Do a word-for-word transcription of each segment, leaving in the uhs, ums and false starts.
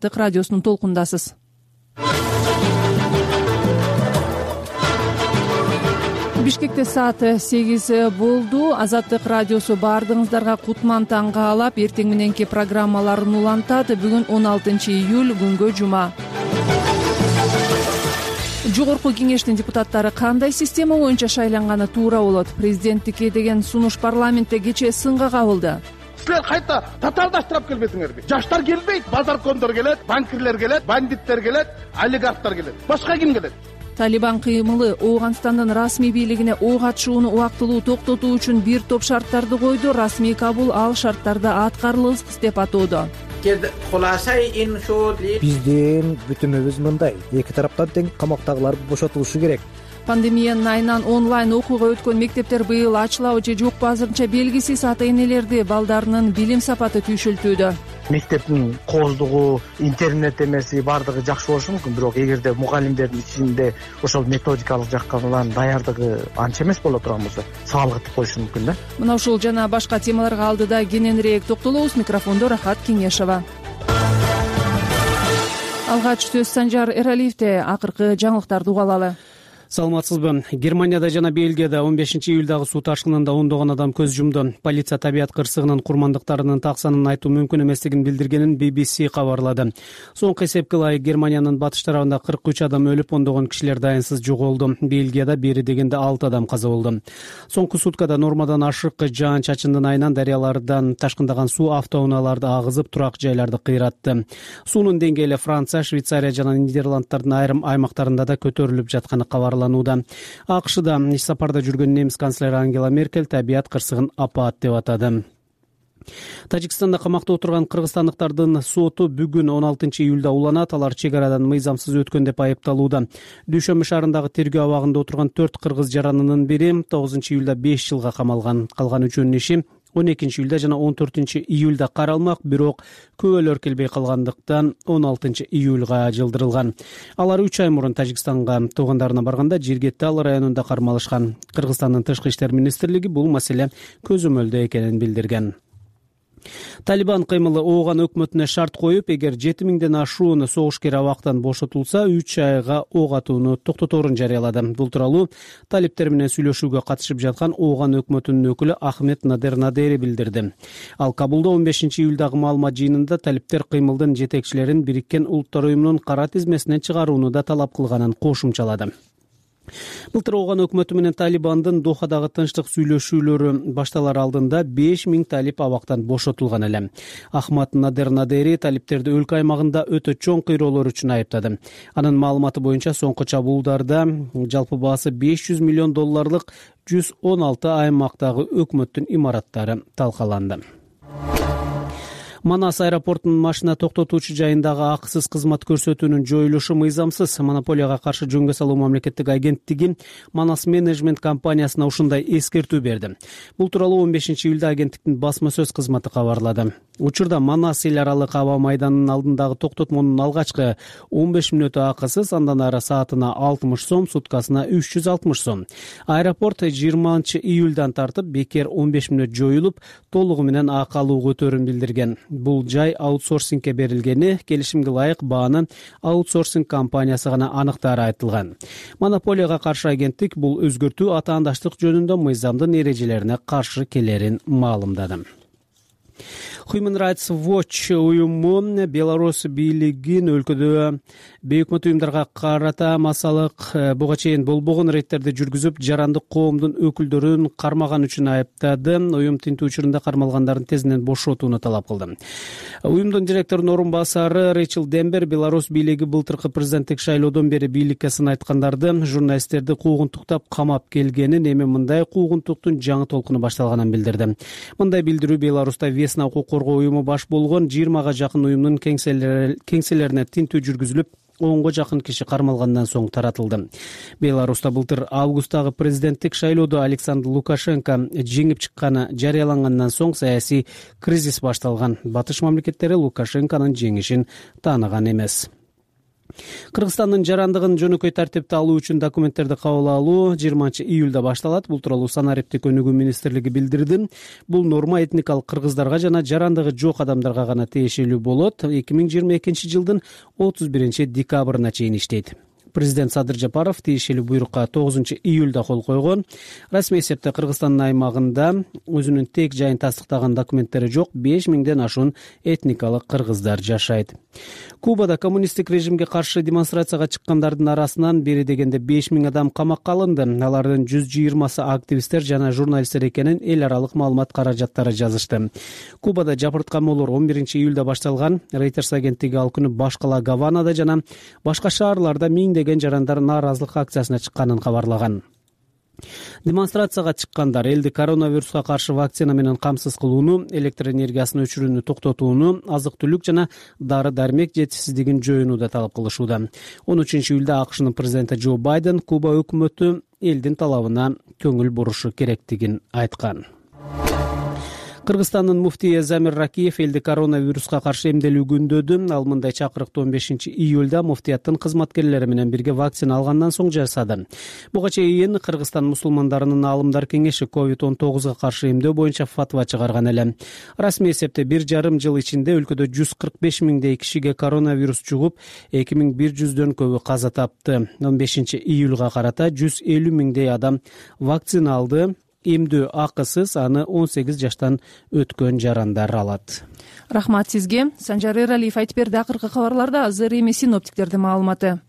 Радиосунун толкундасыз. Бишкекте саат сегиз болду. Азаттык радиосу баардыгыңыздарга кутман таң каалап, эртең мененки программаларын улантат. Бүгүн он алтынчы июль, күнгө жума. Жогорку кеңештин депутаттары кандай система боюнча шайланганы туура болот? Президенттикке деген сунуш парламентте кечээ сынга кабылды. Силер кайта татаалдаштырып келбедиңерби? Жаштар келбейт, базаркондор келет, банкирлер келет, бандиттер келет, олигархтар келет. Башка ким келет? Талибан кыймылы Ооганстандын расмий бийлигине ок атышууну убактылуу токтотуу үчүн бир топ шарттарды койду. Расмий Кабул ал шарттарды аткарылгысыз деп атоодо. Биздин бүтүмүбүз мындай: эки тараптан тең камактагылар бошотулушу керек. Пандемиянын айынан онлайн окууга өткөн мектептер быйыл ачылабы же жокпу азырынча белгисиз. Ата-энелерди балдарынын билим сапаты түйшүлтүүдө. Мектептин кооздугу, интернет эмеси баардыгы жакшы болушу мүмкүн, бирок эгерде мугалимдердин ичинде ошол методикалык жактан даярдыгы анча эмес боло турган болсо, саалгытып коюшу мүмкүн да. Мына ушул жана башка темаларга алдыда кененирээк токтолобуз. Микрофондо Рахат Кеңешова. Алгач сөз Санжар Эралиевде. Акыркы жаңылыктарды угалалы. Саламатсызбы? Германияда жана Бельгияда он бешинчи июлдагы суу ташкынында ондогон адам көз жумду. Полиция табият кырсыгынын курмандыктарынын таксанын айтуу мүмкүн эместигин билдиргенин би би си кабарлады. Соңку эсепке ылайык Германиянын батыш тарабында кырк үч адам өлүп, ондогон кишилер дайынсыз жоголду. Бельгияда бери дегенде алты адам каза болду. Соңку суткада нормадан ашык жаан-чачындын айынан дарыялардан ташкындаган суу автоунааларды агызып, турак жайларды кыйратты. Суунун деңгээли Франция, Швейцария жана Нидерланддардын айрым аймактарында да көтөрүлүп жатканы кабарланды. АКШда иш сапарда жүргөн немис канцлери Ангела Меркель табият кырсыгын апаат деп атады. Тажикстанда камакта отурган кыргызстандыктардын соту бүгүн он алтынчы июлда уланат. Алар чек арадан мыйзамсыз өткөн деп айыпталууда. Дүйшөмбү шаарындагы тергөө абагында отурган төрт кыргыз жаранынын бири тогузунчу июлда беш жылга камалган. Калган үчөөнүн иши он экинчи июлда жана он төртүнчү июлда каралмак, бирок күбөлөр келбей калгандыктан он алтынчы июлга жылдырылган. Алар үч ай мурун Тажикстанга туугандарына барганда Жиргеттал районунда кармалышкан. Кыргызстандын тышкы иштер министрлиги бул маселе көзөмөлдө экенин билдирген. Талибан кыймылы Ооган өкмөтүнө шарт коюп, эгер жети миңден ашуун согушкер абактан бошотулса, үч айга ок атууну токтоторун жарыялады. Бул тууралуу талиптер менен сүйлөшүүгө катышып жаткан Ооган өкмөтүнүн өкүлү Ахмед Надер Надери билдирди. Ал Кабулда он бешинчи июлдагы маалымат жыйынында талиптер кыймылдын жетекчилерин Бириккен Улуттар уюмунун кара тизмесинен чыгарууну да талап кылганын кошумчалады. Былтыр Ооган өкмөтү менен Талибандын Дохадагы тынчтык сүйлөшүүлөрү башталар алдында беш миң талип абактан бошотулган эле. Ахмад Надер Надери талиптерди өлкө аймагында өтө чоң кыйроолор үчүн айыптады. Анын маалыматы боюнча соңку чабуулдарда жалпы баасы беш жүз миллион долларлык жүз он алты аймактагы өкмөттүн имараттары талкаланды. Манас аэропортунун машина токтотуучу жайындагы акысыз кызмат көрсөтүүнүн жоюлушу мыйзамсыз. Монополияга каршы жөнгө салуу мамлекеттик агенттиги Манас менеджмент компаниясына ушундай эскертүү берди. Бул тууралуу он бешинчи июлда агенттиктин басма сөз кызматы кабарлады. Учурда Манас эл аралык аба майданынын алдындагы токтотмонун алгачкы он беш мүнөтү акысыз, андан ары саатына алтымыш сом, суткасына үч жүз алтымыш сом. Аэропорт жыйырманчы июлдан тартып бекер он беш мүнөт жоюлуп, толугу менен акы алуу көтөрүн билдирген. Бул жай аутсорсингке берилгени, келишимге ылайык бааны аутсорсинг компаниясы гана аныктаары айтылган. Монополияга каршы агенттик бул өзгөртүү атаандаштык жөнүндө мыйзамдын эрежелерине каршы келерин маалымдады. Human Rights Watch уюму Беларусь бийлигин өлкөдө бейөкмөт уюмдарга карата массалык буга чейин болбогон рейдтерди жүргүзүп, жарандык коомдун өкүлдөрүн кармаган үчүн айыптады. Уюм тинтүү учурунда кармалгандардын тезинен бошотууну талап кылды. Уюмдун директорунун орун басары Рэйчел Дембер Беларусь бийлиги былтыркы президенттик шайлоодон бери бийликке сын айткандарды, журналисттерди куугунтуктап камап келгенин, эми мындай куугунтуктун жаңы толкуну башталганын билдирди. Мындай билдирүү Беларусьта Весна укук коргоо уюму баш болгон жыйырмага жакын уюмдун кеңселерине тинтүү жүргүзүлүп, онго жакын киши кармалгандан соң таратылды. Беларусьта былтыр августтагы президенттик шайлоодо Александр Лукашенко жеңип чыкканы жарыялангандан соң саясий кризис башталган. Батыш мамлекеттери Лукашенконун жеңишин тааныган эмес. Кыргызстандын жарандыгын жөнөкөй тартипте алуу үчүн документтерди кабыл алуу жыйырманчы июлда башталат. Бул тууралуу санариптик өнүгүү министрлиги билдирди. Бул норма этникалык кыргыздарга жана жарандыгы жок адамдарга гана тиешелүү болот. эки миң жыйырма экинчи жылдын отуз биринчи декабрына чейин иштейт. Президент Садыр Жапаров тиешелүү буйрукка тогузунчу июлда кол койгон. Расмий эсепте Кыргызстандын аймагында өзүнүн тек жайын тастыктаган документтери жок беш миңден ашуун этникалык кыргыздар жашайт. Кубада коммунисттик режимге каршы демонстрацияга чыккандардын арасынан бери дегенде беш миң адам камакка алынды. Алардын жүз жыйырмасы активисттер жана журналисттер экенин эл аралык маалымат каражаттары жазышты. Кубада жапырткамолор он биринчи июлда башталган. Reuters агенттиги ал күнү баш кала Гаванада жана башка шаарларда миңдеген жарандар нааразылык акциясына чыкканын кабарлаган. Демонстрацияга чыккандар элди коронавируска каршы вакцина менен камсыз кылууну, электр энергиясын өчүрүүнү токтотууну, азык-түлүк жана дары-дармек жетишсиздигин жоюуну талап кылышууда. он үчүнчү июлда АКШнын президенти Джо Байден Куба өкмөтү элдин талабына көңүл бурушу керектигин айткан. Кыргызстандын муфтийи Замир Ракиев элди коронавируска каршы эмделүү күндөдү. Ал мындай чакырыкты он бешинчи июлда муфтияттын кызматкерлери менен бирге вакцина алгандан соң жасады. Буга чейин Кыргызстан мусулмандарынын аалымдар кеңеши ковид он тогузга каршы эмдөө боюнча фатва чыгарган эле. Расмий эсепте бир жарым жыл ичинде өлкөдө жүз кырк беш миңдей кишиге коронавирус жугуп, эки миң бир жүздөн көбү каза тапты. он бешинчи июлга карата жүз элүү миңдей адам вакцина алды. Эмдөө акысыз, аны он сегиз жаштан өткөн жарандар алат. Рахмат сизге. Санжар Эралиев айтып берди. Акыркы кабарларда азыр эми синоптиктердин маалыматы.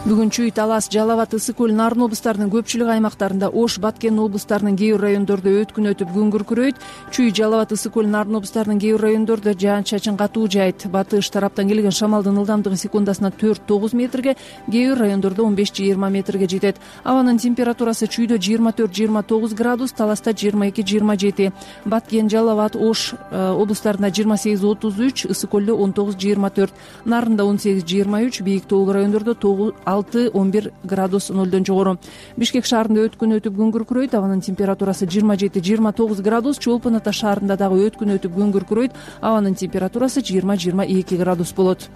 Бүгүн Чүй, Талас, Жалал абад, Ысык көл, Нарын облустарынын көпчүлүк аймактарында, Ош, Баткен облустарынын кээ бир райондордо өткүн өтүп күн күркүрөйт. Чүй, Жалал абад, Ысык көл, Нарын облустарынын кээ бир райондордо жаан-чачын катуу жаайт. Батыш тараптан келген шамалдын ылдамдыгы секундасына төрт тогуз метрге, кээ бир райондордо он беш жыйырма метрге жетет. Абанын температурасы Чүйдө жыйырма төрт жыйырма тогуз градус, Таласта жыйырма эки жыйырма жети, Баткен, Жалал абад, Ош облустарында жыйырма сегиз отуз үч, Ысык көлдө он тогуз жыйырма төрт, Нарында он сегиз жыйырма үч, Бийик Тоолуу райондордо алты он бир градус нолдон жогору. Бишкек шаарында өткүн өтүп күн күркүрөйт. Абанын температурасы жыйырма жети жыйырма тогуз градус. Чолпон Ата шаарында дагы өткүн өтүп күн күркүрөйт. Абанын температурасы жыйырма жыйырма эки градус болот.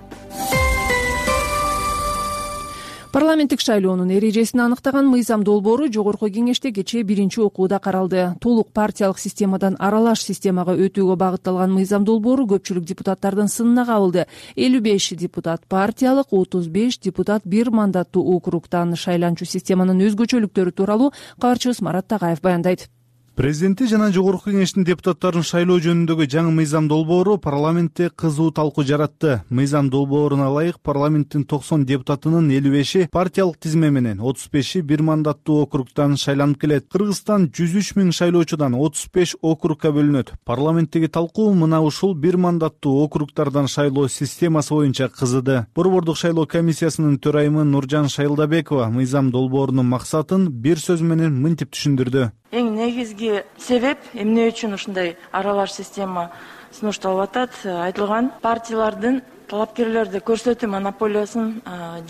Парламенттик шайлоонун эрежесин аныктаган мыйзам долбоору Жогорку кеңеште кечээ биринчи окууда каралды. Толук партиялык системадан аралаш системага өтүүгө багытталган мыйзам долбоору көпчүлүк депутаттардын сынына кабылды. элүү беш депутат партиялык, отуз беш депутат бир мандаттуу округтан. Шайланчу системанын өзгөчөлүктөрү тууралуу кабарчыбыз Марат Тагаев баяндайт. Президенти жана Жогорку кеңештин депутаттарын шайлоо жөнүндөгү жаңы мыйзам долбоору парламентте кызуу талкуу жаратты. Мыйзам долбооруна ылайык парламенттин токсон депутатынын элүү беши партиялык тизме менен, отуз беши бир мандаттуу округтан шайланып келет. Кыргызстан жүз үч миң шайлоочудан отуз беш округка бөлүнөт. Парламенттеги талкуу мына ушул бир мандаттуу округтардан шайлоо системасы боюнча кызыды. Борбордук шайлоо комиссиясынын төрайымы Нуржан Шайылдабекова мыйзам долбоорунун максатын бир сөз менен мынтип түшүндүрдү. Эң негизги себеп эмне үчүн ушундай аралаш система сунушталып атат айтылган партиялардын талапкерлерди көрсөтүү монополиясын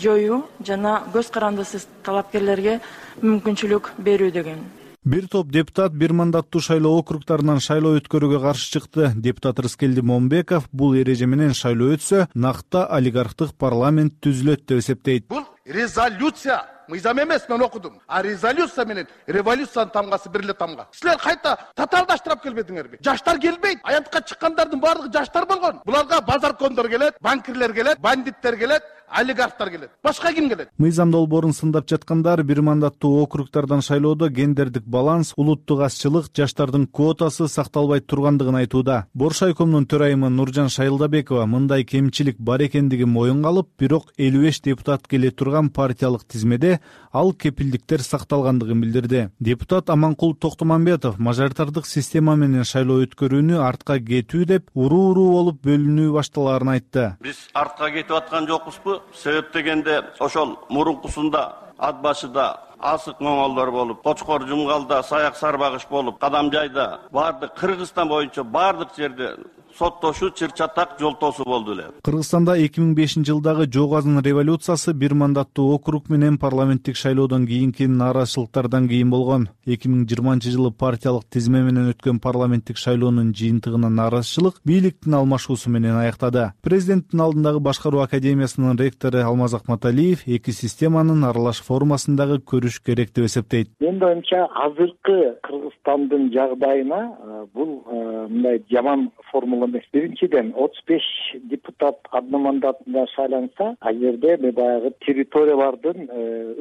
жоюу жана көз карандысыз талапкерлерге мүмкүнчүлүк берүү деген. Бир топ депутат бир мандаттуу шайлоо округтарынан шайлоо өткөрүүгө каршы чыкты. Депутат Рыскелди Момбеков бул эреже менен шайлоо өтсө, накта олигархтык парламент түзүлөт деп эсептейт. Бул резолюция мыйзам эмес, мен окудум. А резолюция менен революциянын тамгасы бир эле тамга. Силер кайта татаалдаштырып келбедиңерби? Жаштар келбейт. Аянтка чыккандардын баардыгы жаштар болгон. Буларга базаркондор келет, банкирлер келет, бандиттер келет, олигархтар келет. Башка ким келет? Мыйзам долбоорун сындап жаткандар бир мандаттуу округтардан шайлоодо гендердик баланс, улуттук азчылык, жаштардын квотасы сакталбай тургандыгын айтууда. Боршайкомдун төрайымы Нуржан Шайылдабекова мындай кемчилик бар экендигин моюнга алып, бирок элүү беш депутат келе турган партиялык тизмеде ал кепилдиктер сакталгандыгын билдирди. Депутат Аманкул Токтомамбетов мажоритардык система менен шайлоо өткөрүүнү артка кетүү деп уруу-уруу болуп бөлүнүү башталаарын айтты. Биз артка кетип аткан жокпузбу? Себеп дегенде ошол мурункусунда ат башыда асык моңолдор болуп, Кочкор Жумгалда саяк сарбагыш болуп, Кадам жайда баардык Кыргызстан боюнча баардык жерде соттошу чыр чатак жолтоосу болду эле. Кыргызстанда эки миң бешинчи жылдагы Жок Азын революциясы бир мандаттуу округ менен парламенттик шайлоодон кийинки нааразычылыктардан кийин болгон. эки миң жыйырманчы жылы партиялык тизме менен өткөн парламенттик шайлоонун жыйынтыгына нааразычылык бийликтин алмашуусу менен аяктады. Президенттин алдындагы башкаруу академиясынын ректору Алмаз Акматалиев эки системанын аралаш формасындагы көрүш керек деп эсептейт. Менин оюмча азыркы Кыргызстандын жагдайына бул мындай жаман формула эмес. Биринчиден отуз беш депутат одномандатында шайланса, ал жерде баягы территориялардын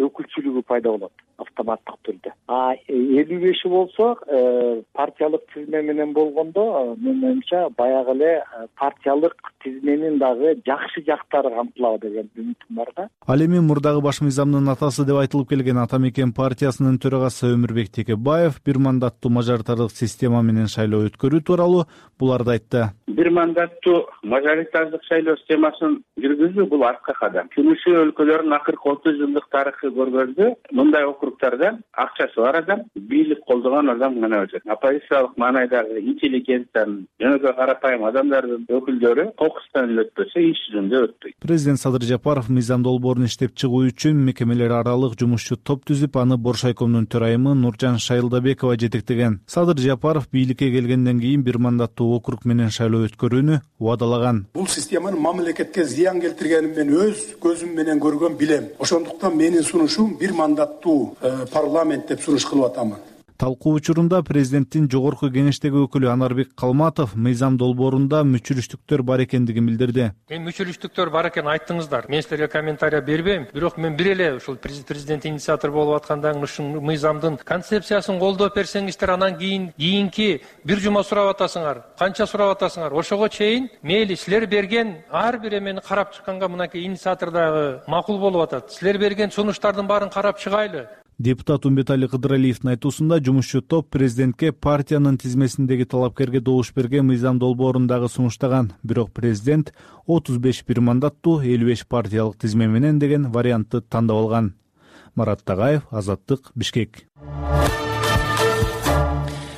өкүлчүлүгү пайда болот автоматтык түрдө. А элүү беши болсо партиялык тизме менен болгондо менин оюмча баягы эле партиялык тизменин дагы жакшы жактары камтылабы деген үмүтүм бар да. Ал эми мурдагы баш мыйзамдын атасы деп айтылып келген Ата Мекен партиясынын төрагасы Өмүрбек Текебаев бир мандаттуу мажоритардык система менен шайлоо өткөрүү тууралуу буларды айтты. Бир мандаттуу мажоритардык шайлоо системасын жүргүзүү бул артка кадам. Жумушу өлкөлөрдүн акыркы отуз жылдык тарыхы көргөздө мындай округдарда акчасы бар адам, бийлик колдогон адам гана өтөт. Оппозициялык маанайдагы интеллигенциянын жөнөкөй карапайым адамдардын өкүлдөрү кокустан өтпөсө иш жүзүндө өтпөйт. Президент Садыр Жапаров мыйзам долбоорун иштеп чыгуу үчүн мекемелер аралык жумушчу топ түзүп, аны Боршайкомдун төрайымы Нуржан Шайылдабекова жетектеген. Садыр Жапаров бийликке келгенден кийин бир мандаттуу округ менен шайлоо өткөрүүнү убадалаган. Бул системанын мамлекетке зыян келтиргенин мен өз көзүм менен көргөн билем. Ошондуктан менин сунушум бир мандаттуу парламент деп сунуш кылып атамын. Талкуу учурунда президенттин жогорку кеңештеги өкүлү Анарбек Калматов мыйзам долбоорунда мүчүрүштүктөр бар экендигин билдирди. Мен мүчүрүштүктөр бар экенин айттыңыздар. Мен силерге комментарий бербейм. Бирок мен бир эле ушул президент инициатор болуп аткандан ушул мыйзамдын концепциясын колдоп берсеңиздер, анан кийин кийинки бир жума сурап атасыңар, канча сурап атасыңар. Ошого чейин мейли силер берген ар бир эмени карап чыкканга мынакей инициатор дагы макул болуп атат. Силер берген сунуштардын баарын карап чыгайлы. Депутат Умбетали Кыдыралиевдин айтуусунда жумушчу топ президентке партиянын тизмесиндеги талапкерге добуш берген мыйзам долбоорун дагы сунуштаган. Бирок президент отуз беш бир мандаттуу элүү беш партиялык тизме менен деген вариантты тандап алган. Марат Тагаев, Азаттык, Бишкек.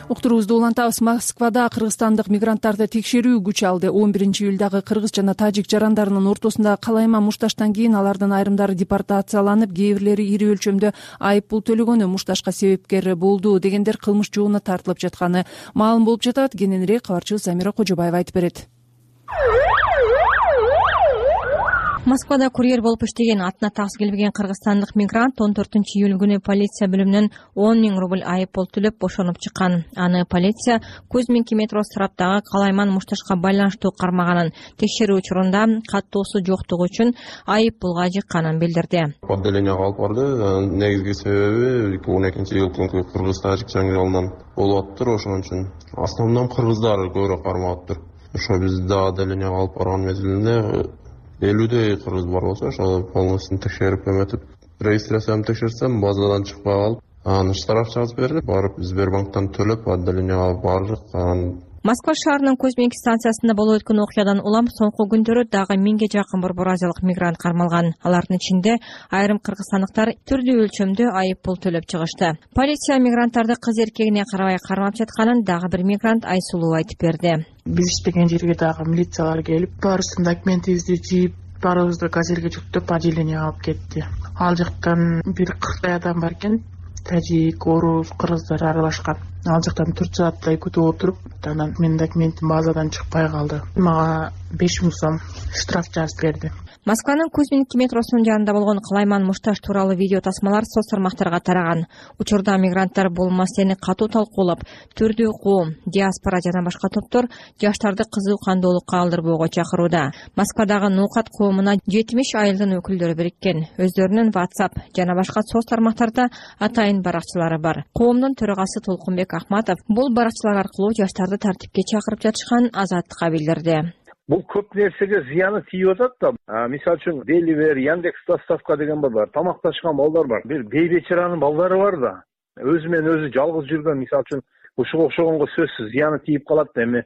Уктуруубузду улантабыз. Москвада кыргызстандык мигранттарды текшерүү күч алды. он биринчи июлдагы кыргыз жана тажик жарандарынын ортосундагы калайма мушташтан кийин алардын айрымдары депортацияланып, кээ бирлери ири өлчөмдө айып пул төлөгөнү мушташка себепкер болду дегендер кылмыш жообуна тартылып жатканы маалым болуп жатат. Кененирээк кабарчыбыз Замира Кожобаева айтып берет. Москвада курьер болуп иштеген, атына таксы келбеген кыргызстандык мигрант он төртүнчү июль күнү полиция бөлүмүнөн он миң рубль айып пул төлөп бошонуп чыккан. Аны полиция Кузьминки метро сараптагы калайман мушташка байланыштуу кармаганын, текшерүү учурунда каттоосу жоктугу үчүн айып пулга жыкканын билдирди. Отделенияга алып барды. Негизги себеби он экинчи июль күнкү кыргыз-тажик жаңыралынан болуп атыптыр. Ошон үчүн основном кыргыздар көбүрөөк кармап атыптыр. Ошо бизди отделенияга алып барган мезгилинде элүүдөй кыргыз бар болсо, ошол полностью текшерип эметип, регистрацияны текшерсем, базадан чыкпай калып, анан штраф жазып берип, барып Сбербанктан төлөп, отделенияга бардык. Москва шаарынын Кузьминки станциясында болуп өткөн окуядан улам соңку күндөрү дагы миңге жакын борбор азиялык мигрант кармалган. Алардын ичинде айрым кыргызстандыктар түрдүү өлчөмдө айып пул төлөп чыгышты. Полиция мигранттарды кыз эркегине карабай кармап жатканын дагы бир мигрант Айсулуу айтып берди. Биз иштеген жерге дагы милициялар келип, баарыбыздын документибизди жийип, баарыбызды газельге жүктөп отделенияга алып кетти. Ал жактан бир кырктай адам бар экен. Тажик, орус, кыргыздар аралашкан. Ал жактан төрт сааттай күтүп отуруп, анан менин документим базадан чыкпай калды. Мага беш миң сом штраф жазып берди. Москванын Кузьминки метросунун жанында болгон калайман мушташ тууралуу видео тасмалар соц тармактарга тараган. Учурда мигранттар бул маселени катуу талкуулап, түрдүү коом, диаспора жана башка топтор жаштарды кызуу кандоолукка алдырбоого чакырууда. Москвадагы Нукат коомуна жетимиш айылдын өкүлдөрү бириккен. Өздөрүнүн WhatsApp жана башка соц тармактарда атайын баракчалары бар. Коомдун төрагасы Толкунбек Ахматов бул баракчалар аркылуу жаштарды тартипке чакырып жатышкан Азаттыкка билдирди. Бул көп нерсеге зыяны тийип атат да. Мисалы үчүн Деливер, Яндекс доставка деген бар, тамакташкан балдар бар. Бир бейбечаранын балдары бар да. Өзү менен өзү жалгыз жүргөн, мисалы үчүн ушуга окшогонго сөзсүз зыяны тийип калат да эми.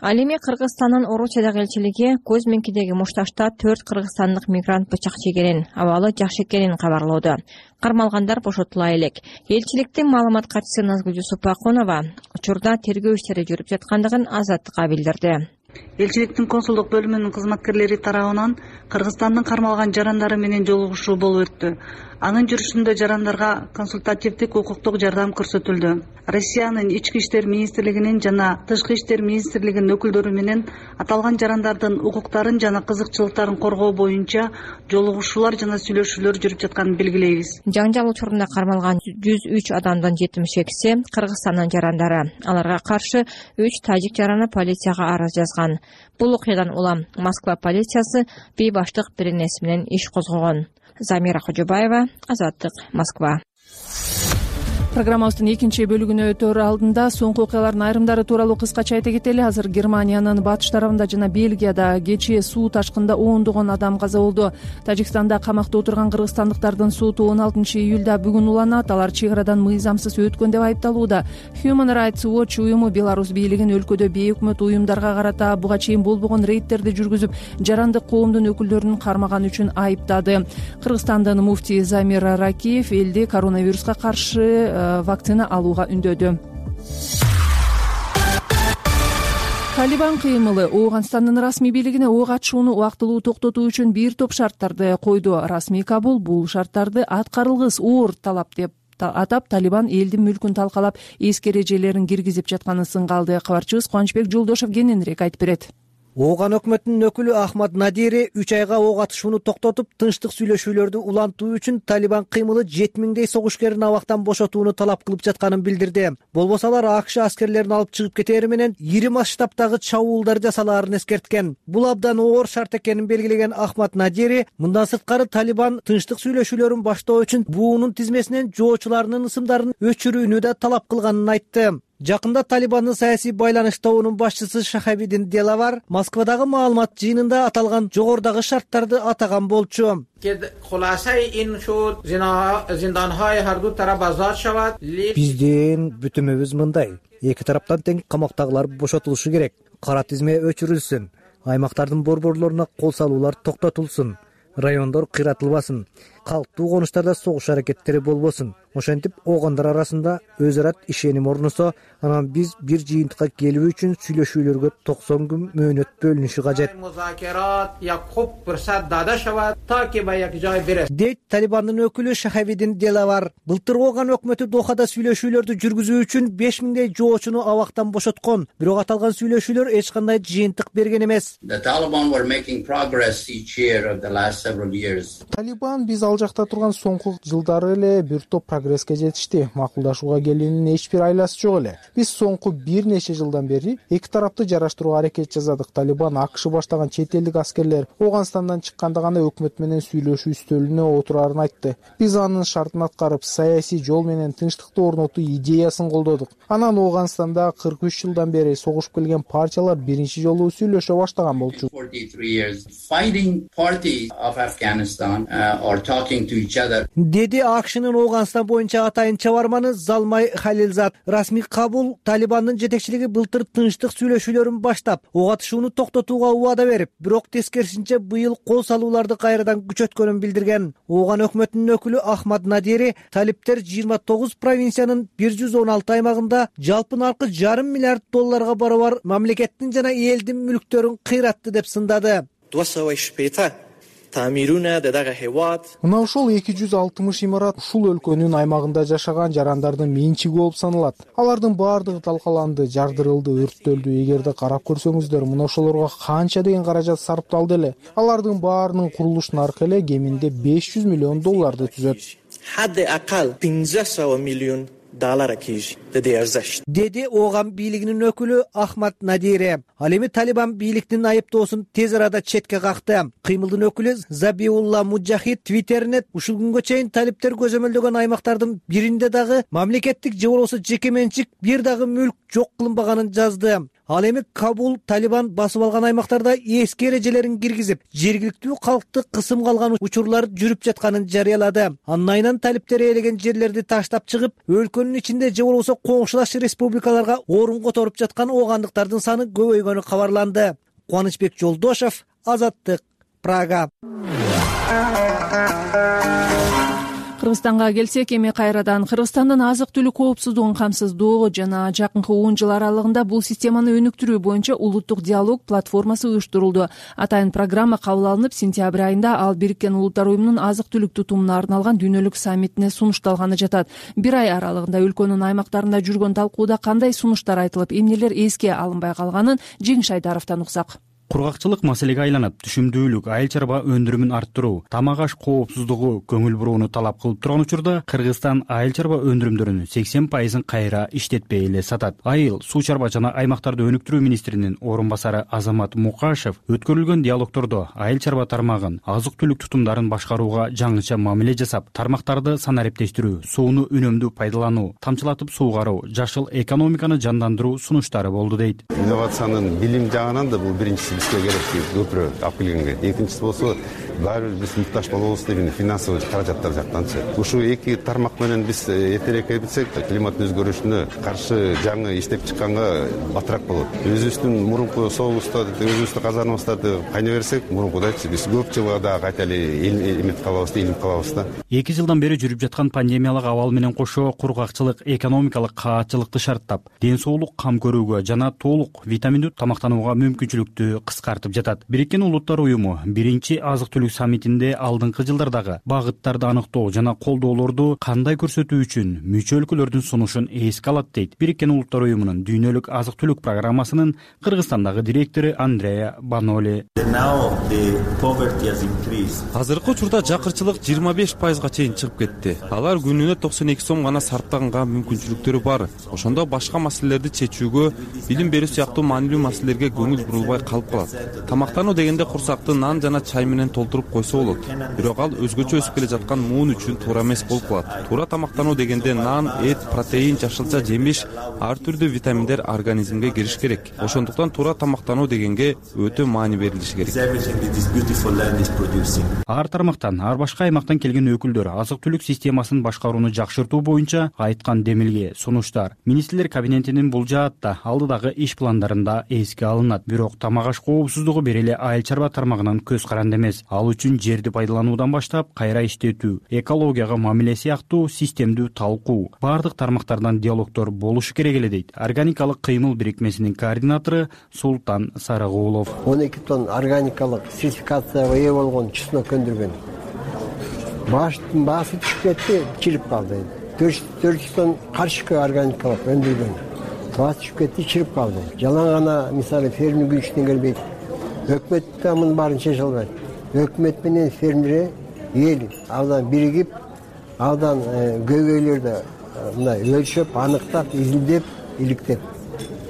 Ал эми Кыргызстандын Орусиядагы элчилиги Кузьминкидеги мушташта төрт кыргызстандык мигрант бычак жегенин, абалы жакшы экенин кабарлоодо. Кармалгандар бошотула элек. Элчиликтин маалымат катчысы Назгүл Супакунова учурда тергөө иштери жүрүп жаткандыгын Азаттыкка билдирди. Элчиликтин консулдук бөлүмүнүн кызматкерлери тарабынан Кыргызстандын кармалган жарандары менен жолугушуу болуп өттү. Анын жүрүшүндө жарандарга консультативдик укуктук жардам көрсөтүлдү. Россиянын ички иштер министрлигинин жана тышкы иштер министрлигинин өкүлдөрү менен аталган жарандардын укуктарын жана кызыкчылыктарын коргоо боюнча жолугушуулар жана сүйлөшүүлөр жүрүп жатканын белгилейбиз. Жаңжал учурунда кармалган жүз үч адамдын жетимиш экиси Кыргызстандын жарандары. Аларга каршы үч тажик жараны полицияга арыз жазган. Бул окуядан улам Москва полициясы бейбаштык беренеси менен иш козгогон. Замира Хожобаева, Азаттык, Москва. Программабыздын экинчи бөлүгүнө өтөр алдында соңку окуялардын айрымдары тууралуу кыскача айта кетели. Азыр Германиянын батыш тарабында жана Бельгияда кечээ суу ташкынында ондогон адам каза болду. Тажикстанда камакта отурган кыргызстандыктардын соту он алтынчы июлда бүгүн уланат. Алар чек арадан мыйзамсыз өткөн деп айыпталууда. Human Rights Watch уюму Беларусь бийлигин өлкөдө бейөкмөт уюмдарга карата буга чейин болбогон рейдтерди жүргүзүп, жарандык коомдун өкүлдөрүн кармаган үчүн айыптады. Кыргызстандын муфтии Замир Ракиев элди коронавируска каршы вакцина алууга үндөдү. Талибан кыймылы Ооганстандын расмий бийлигине ок атышууну убактылуу токтотуу үчүн бир топ шарттарды койду. Расмий Кабул бул шарттарды аткарылгыс оор талап деп атап, Талибан элдин мүлкүн талкалап, эски эрежелерин киргизип жатканын сынга алды. Кабарчыбыз Кубанычбек Жолдошов кененирээк айтып берет. Ооган өкмөтүнүн өкүлү Ахмад Надири үч айга ок атышууну токтотуп, тынчтык сүйлөшүүлөрдү улантуу үчүн Талибан кыймылы жети миңдей согушкерин абактан бошотууну талап кылып жатканын билдирди. Болбосо алар АКШ аскерлерин алып чыгып кетери менен ири масштабтагы чабуулдар жасалаарын эскерткен. Бул абдан оор шарт экенин белгилеген Ахмад Надири мындан сырткары Талибан тынчтык сүйлөшүүлөрүн баштоо үчүн буунун тизмесинен жоочуларынын ысымдарын өчүрүүнү да талап кылганын айтты. Жакында Талибандын саясий байланыш тобунун башчысы Шахабидин Делавар Москвадагы маалымат жыйынында аталган жогорудагы шарттарды атаган болчу. Биздин бүтүмүбүз мындай: эки тараптан тең камактагылар бошотулушу керек, кара тизме өчүрүлсүн, аймактардын борборлоруна кол салуулар токтотулсун, райондор кыйратылбасын, калктуу конуштарда согуш аракеттери болбосун. Ошентип оогандар арасында өз ара ишеним орносо, анан биз бир жыйынтыкка келүү үчүн сүйлөшүүлөргө токсон күн мөөнөт бөлүнүшү кажет. Дейт Талибандын өкүлү Шахабидин Делавар. Былтыр Ооган өкмөтү Дохада сүйлөшүүлөрдү жүргүзүү үчүн беш миңдей жоочуну абактан бошоткон. Бирок аталган сүйлөшүүлөр эч кандай жыйынтык берген эмес. Талибан биз ал жакта турган соңку жылдары эле бир топ прогресске жетишти. Макулдашууга келүүнүн эч бир айласы жок эле. Биз соңку бир нече жылдан бери эки тарапты жараштырууга аракет жасадык. Талибан АКШ баштаган чет элдик аскерлер Ооганстандан чыкканда гана өкмөт менен сүйлөшүү үстөлүнө отурарын айтты. Биз анын шартын аткарып, саясий жол менен тынчтыкты орнотуу идеясын колдодук. Анан Ооганстанда кырк үч жылдан бери согушуп келген партиялар биринчи жолу сүйлөшө баштаган болчу. Деди АКШнын Ооганстан боюнча атайын чабарманы Залмай Халилзад. Расмий Кабул Талибандын жетекчилиги былтыр тынчтык сүйлөшүүлөрүн баштап, ок атышууну токтотууга убада берип, бирок тескерисинче быйыл кол салууларды кайрадан күчөткөнүн билдирген. Ооган өкмөтүнүн өкүлү Ахмад Надири талиптер жыйырма тогуз провинциянын бир жүз он алты аймагында жалпы наркы жарым миллиард долларга барабар мамлекеттин жана элдин мүлктөрүн кыйратты деп сындады. Мына ошол эки жүз алтымыш имарат ушул өлкөнүн аймагында жашаган жарандардын менчиги болуп саналат. Алардын баардыгы талкаланды, жардырылды, өрттөлдү. Эгерде карап көрсөңүздөр, мына ошолорго канча деген каражат сарпталды эле. Алардын баарынын курулуш наркы эле кеминде беш жүз миллион долларды түзөт. Деди Ооган бийлигинин өкүлү Ахмад Надири. Ал эми Талибан бийликтин айыптоосун тез арада четке какты. Кыймылдын өкүлү Забиулла Муджахид твиттерине ушул күнгө чейин талиптер көзөмөлдөгөн аймактардын биринде дагы мамлекеттик же болбосо жеке менчик бир дагы мүлк жок кылынбаганын жазды. Ал эми Кабул Талибан басып алган аймактарда эски эрежелерин киргизип, жергиликтүү калкты кысымга алган учурлар жүрүп жатканын жарыялады. Анын айынан талиптер ээлеген жерлерди таштап чыгып, өлкөнүн ичинде же болбосо коңшулаш республикаларга орун которуп жаткан оогандыктардын саны көбөйгөнү кабарланды. Кубанычбек Жолдошов, Азаттык, Прага. кыргызстанга келсек, эми кайрадан Кыргызстандын азык түлүк коопсуздугун камсыздоо жана жакынкы он жыл аралыгында бул системаны өнүктүрүү боюнча улуттук диалог платформасы уюштурулду. Атайын программа кабыл алынып, сентябрь айында ал Бириккен Улуттар уюмунун азык түлүк тутумуна арналган дүйнөлүк саммитине сунушталганы жатат. Бир ай аралыгында өлкөнүн аймактарында жүргөн талкууда кандай сунуштар айтылып, эмнелер эске алынбай калганын Жеңиш Айдаровдон уксак. Кургакчылык маселеге айланып, түшүмдүүлүк, айыл чарба өндүрүмүн арттыруу, тамак аш коопсуздугу көңүл бурууну талап кылып турган учурда Кыргызстан айыл чарба өндүрүмдөрүнүн сексен пайызын кайра иштетпей эле сатат. Айыл, суу чарба жана аймактарды өнүктүрүү министринин орун басары Азамат Мукашев өткөрүлгөн диалогтордо айыл чарба тармагын, азык түлүк тутумдарын башкарууга жаңыча мамиле жасап, тармактарды санариптештирүү, сууну үнөмдүү пайдалануу, тамчылатып суугаруу, жашыл экономиканы жандандыруу сунуштары болду дейт. Инновациянын билим жагынан да бул биринчиси керек көпүрөөк алып келгенге. Экинчиси болсо, баары биз муктаж болобуз деген финансовый каражаттар жактанчы. Ушул эки тармак менен биз эртерээк кетсек, климат өзгөрүшүнө каршы жаңы иштеп чыкканга батыраак болот. Өзүбүздүн мурунку соогубузда, өзүбүздүн казаныбыздарды кайнай берсек, мурункудайчы биз көп жылга да кайта эле эмет калабыз, илим калабыз да. эки жылдан бери жүрүп жаткан пандемиялык абал менен кошо кургакчылык экономикалык каатчылыкты шарттап, ден соолук кам көрүүгө жана толук витаминдүү тамактанууга мүмкүнчүлүктү кыскартып жатат. Бириккен Улуттар уюму биринчи азык түлүк саммитинде алдыңкы жылдардагы багыттарды аныктоо жана колдоолорду кандай көрсөтүү үчүн мүчө өлкөлөрдүн сунушун эске алат дейт Бириккен Улуттар уюмунун дүйнөлүк азык түлүк программасынын Кыргызстандагы директору Андреа Баноли. Азыркы учурда жакырчылык жыйырма беш пайызга чейин чыгып кетти. Алар күнүнө токсон эки сом гана сарптаганга мүмкүнчүлүктөрү бар. Ошондо башка маселелерди чечүүгө, билим берүү сыяктуу маанилүү маселелерге көңүл бурулбай калып калат. Тамактануу дегенде курсакты нан жана чай менен толтуруп койсо болот. Бирок ал өзгөчө өсүп келе жаткан муун үчүн туура эмес болуп калат. Туура тамактануу дегенде нан, эт, протеин, жашылча жемиш, ар түрдүү витаминдер организмге кириш керек. Ошондуктан туура тамактануу дегенге өтө маани берилиши керек. Ар тармактан, ар башка аймактан келген өкүлдөр азык түлүк системасын башкарууну жакшыртуу боюнча айткан демилге, сунуштар министрлер кабинетинин бул жаатта алдыдагы иш пландарында эске алынат. Бирок тамак аш коопсуздугу бир эле айыл чарба тармагынан көз каранды эмес. Ал үчүн жерди пайдалануудан баштап кайра иштетүү, экологияга мамиле сыяктуу системдүү талкуу, бардык тармактардан диалогдор болушу керек эле дейт Органикалык кыймыл бирикмесинин координатору Султан Сарыгулов. он эки тонн органикалык сертификацияга ээ болгон чеснок өндүргөн. Баштын баасы түшүп кетти, чирип калды. төрт жүз тонн каршыкы органикалык өндүргөн. Баасы түшүп кетти, чирип калды. Жалаң гана мисалы фермер күчүнөн келбейт. Өкмөт да мунун баарын чече албайт. Өкмөт менен фермер эл абдан биригип, абдан көйгөйлөрдү мындай өлчөп, аныктап, изилдеп, иликтеп,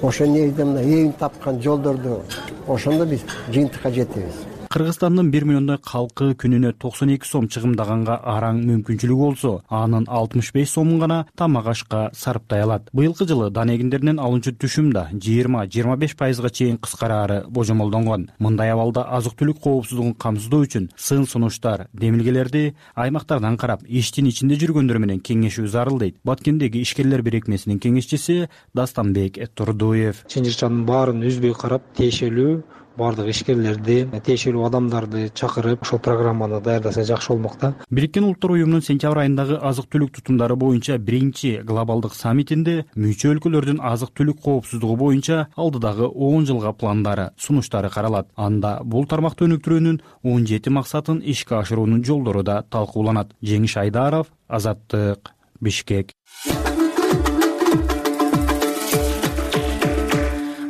ошол негизде мына эң тапкан жолдорду ошондо биз жыйынтыкка жетебиз. Кыргызстандын бир миллиондой калкы күнүнө токсон эки сом чыгымдаганга араң мүмкүнчүлүгү болсо, анын алтымыш беш сомун гана тамак ашка сарптай алат. Быйылкы жылы дан эгиндеринен алынчу түшүм да жыйырма жыйырма беш пайызга чейин кыскараары божомолдонгон. Мындай абалда азык түлүк коопсуздугун камсыздоо үчүн сын сунуштар, демилгелерди аймактардан карап, иштин ичинде жүргөндөр менен кеңешүү зарыл дейт Баткендеги ишкерлер бирикмесинин кеңешчиси Дастанбек Турдуев. Чын жырчанын баарын үзбөй карап, тиешелүү бардык ишкерлерди, тиешелүү адамдарды чакырып, ошол программаны даярдаса жакшы болмок да. Бириккен Улуттар уюмунун сентябрь айындагы азык түлүк тутумдары боюнча биринчи глобалдык саммитинде мүчө өлкөлөрдүн азык түлүк коопсуздугу боюнча алдыдагы он жылга пландары, сунуштары каралат. Анда бул тармакты өнүктүрүүнүн он жети максатын ишке ашыруунун жолдору да талкууланат. Жеңиш Айдаров, Азаттык, Бишкек.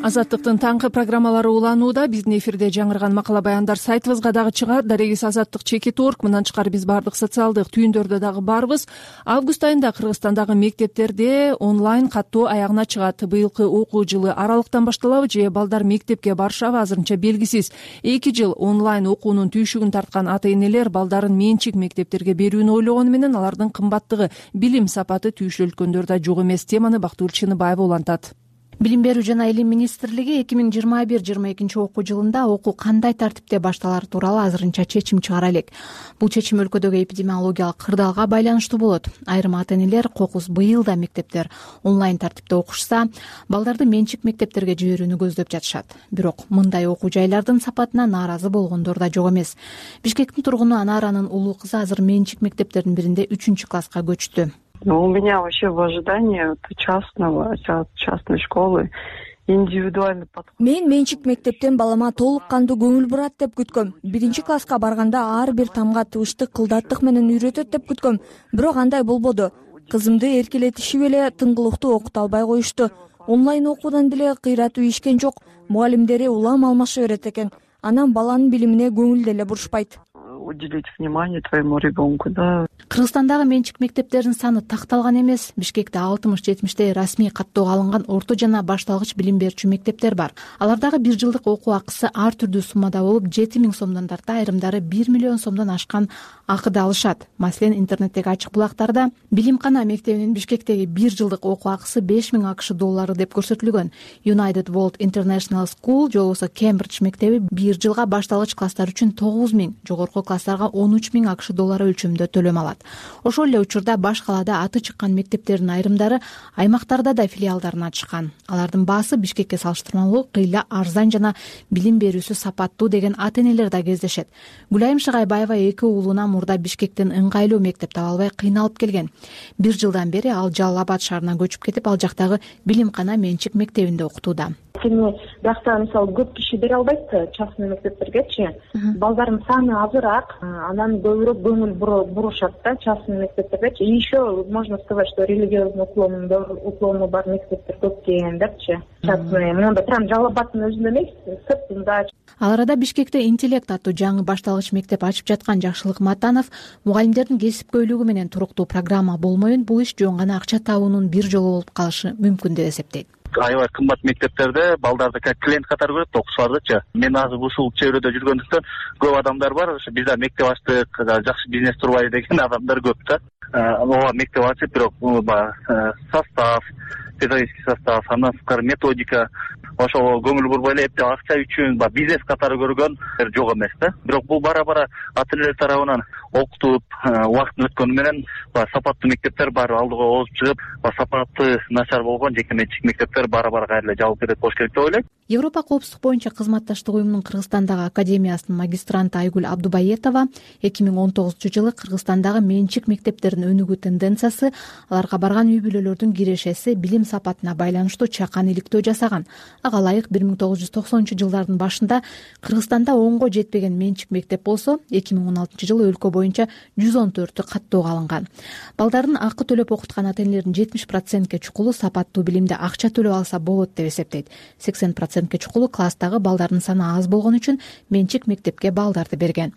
Азаттыктын таңкы программалары уланууда. Биздин эфирде жаңырган макала баяндар сайтыбызга дагы чыгат. Дарегиз азаттык чекит точка орг. Мындан тышкары биз бардык социалдык түйүндөрдө дагы барбыз. Август айында Кыргызстандагы мектептерде онлайн каттоо аягына чыгат. Быйылкы окуу жылы аралыктан башталабы же балдар мектепке барышабы азырынча белгисиз. эки жыл онлайн окуунун түйшүгүн тарткан ата-энелер балдарын менчик мектептерге берүүнү ойлогону менен алардын кымбаттыгы, билим сапаты түйшөлткөндөр да жок эмес. Теманы Бактыгүл Чыныбаева улантат. Билим берүү жана илим министрлиги эки миң жыйырма бир жыйырма экинчи окуу жылында окуу кандай тартипте башталары тууралуу азырынча чечим чыгара элек. Бул чечим өлкөдөгү эпидемиологиялык кырдаалга байланыштуу болот. Айрым ата-энелер кокус быйыл да мектептер онлайн тартипте окушса, балдарды менчик мектептерге жиберүүнү көздөп жатышат. Бирок мындай окуу жайлардын сапатына нааразы болгондор да жок эмес. Бишкектин тургуну Анаранын улуу кызы азыр менчик мектептердин биринде үчүнчү класска көчтү. У меня вообще в ожидании частного, частной школы индивидуальный подход. Мен менчик мектептен балама толук кандуу көңүл бурат деп күткөм. Биринчи класска барганда ар бир тамга тыбыштык, кылдаттык менен үйрөтөт деп күткөм. Бирок андай болбоду. Кызымды эркелетишип эле тыңгылыктуу окута албай коюшту. Онлайн окуудан деле кыйратуу ишкен жок. Мугалимдери улам алмаша берет экен. Анан баланын билимине көңүл деле бурушпайт. Уделить внимание твоему ребенку, да. Кыргызстандагы менчик мектептердин саны такталган эмес. Бишкекте алтымыш жетимиштей расмий каттоого алынган орто жана башталгыч билим берүүчү мектептер бар. Алардагы бир жылдык окуу акысы ар түрдүү суммада болуп, жети миң сомдон тарта, айрымдары бир миллион сомдон ашкан акыды алышат. Маселен, интернеттеги ачык булактарда Билимкана мектебинин Бишкектеги бир жылдык окуу акысы беш миң акш доллары деп көрсөтүлгөн. United World International School же болбосо Кембридж мектеби бир жылга башталгыч класстар үчүн тогуз миң, жогорку класстарга он үч миң акш доллары өлчөмдө төлөм алат. Ошол эле учурда баш калаада аты чыккан мектептердин айрымдары аймактарда да филиалдарын ачкан. Алардын баасы Бишкекке салыштырмалуу кыйла арзан жана билим берүүсү сапаттуу деген ата-энелер да кездешет. Гүлайым Шыгайбаева эки уулуна мурда Бишкектен ыңгайлуу мектеп таба албай кыйналып келген. Бир жылдан бери ал Жалал Абад шаарына көчүп кетип, ал жактагы Билимкана менчик мектебинде окутууда. Анткени биякта мисалы көп киши бере албайт частный мектептергечи. Балдардын саны азыраак, анан көбүрөөк көңүл бурушат да частный мектептердечи. И еще можно сказать, что религиозный уклону бар мектептер көп экен депчи. Частный, монда прям Жалал Абадтын өзүндө эмес, сыртында. Ал арада Бишкекте интеллект аттуу жаңы башталгыч мектеп ачып жаткан Жакшылык Матанов мугалимдердин кесипкөйлүгү менен туруктуу программа болмоюн, бул иш жөн гана акча табуунун бир жолу болуп калышы мүмкүн деп эсептейт. Аябай кымбат мектептерде балдарды как клиент катары көрөт, окуучулардычы. Мен азыр ушул чөйрөдө жүргөндүктөн көп адамдар бар. Ошо бизде мектеп ачтык, жакшы бизнес турбайбы деген адамдар көп да. Ооба мектеп ачып, бирок состав, педагогический состав, андан сырткары методика, ошого көңүл бурбай эле эптеп акча үчүн бизнес катары көргөн жок эмес да. Бирок бул бара-бара ата-энелер тарабынан окутуп, убакыт өткөнү менен сапаттуу мектептер баары алдыга озуп чыгып, сапаты начар болгон жеке менчик мектептер бара-бара кайра эле жабылып кетет болуш керек деп ойлойм. Европа коопсуздук боюнча кызматташтык уюмунун Кыргызстандагы академиясынын магистранты Айгүл Абдубаетова эки миң он тогузунчу жылы Кыргызстандагы менчик мектептердин өнүгүү тенденциясы, аларга барган үй бүлөлөрдүн кирешеси билим сапатына байланыштуу чакан иликтөө жасаган. Ага ылайык бир миң тогуз жүз токсонунчу жылдардын башында Кыргызстанда онго жетпеген менчик мектеп болсо, эки миң он алтынчы жылы өлкө боюнча жүз он төртү каттоого алынган. Балдардын акы төлөп окуткан ата-энелердин жетимиш процентке чукулу сапаттуу билимди акча төлөп алса болот деп эсептейт. сексен процентке чукулу класстагы балдардын саны аз болгон үчүн менчик мектепке балдарды берген.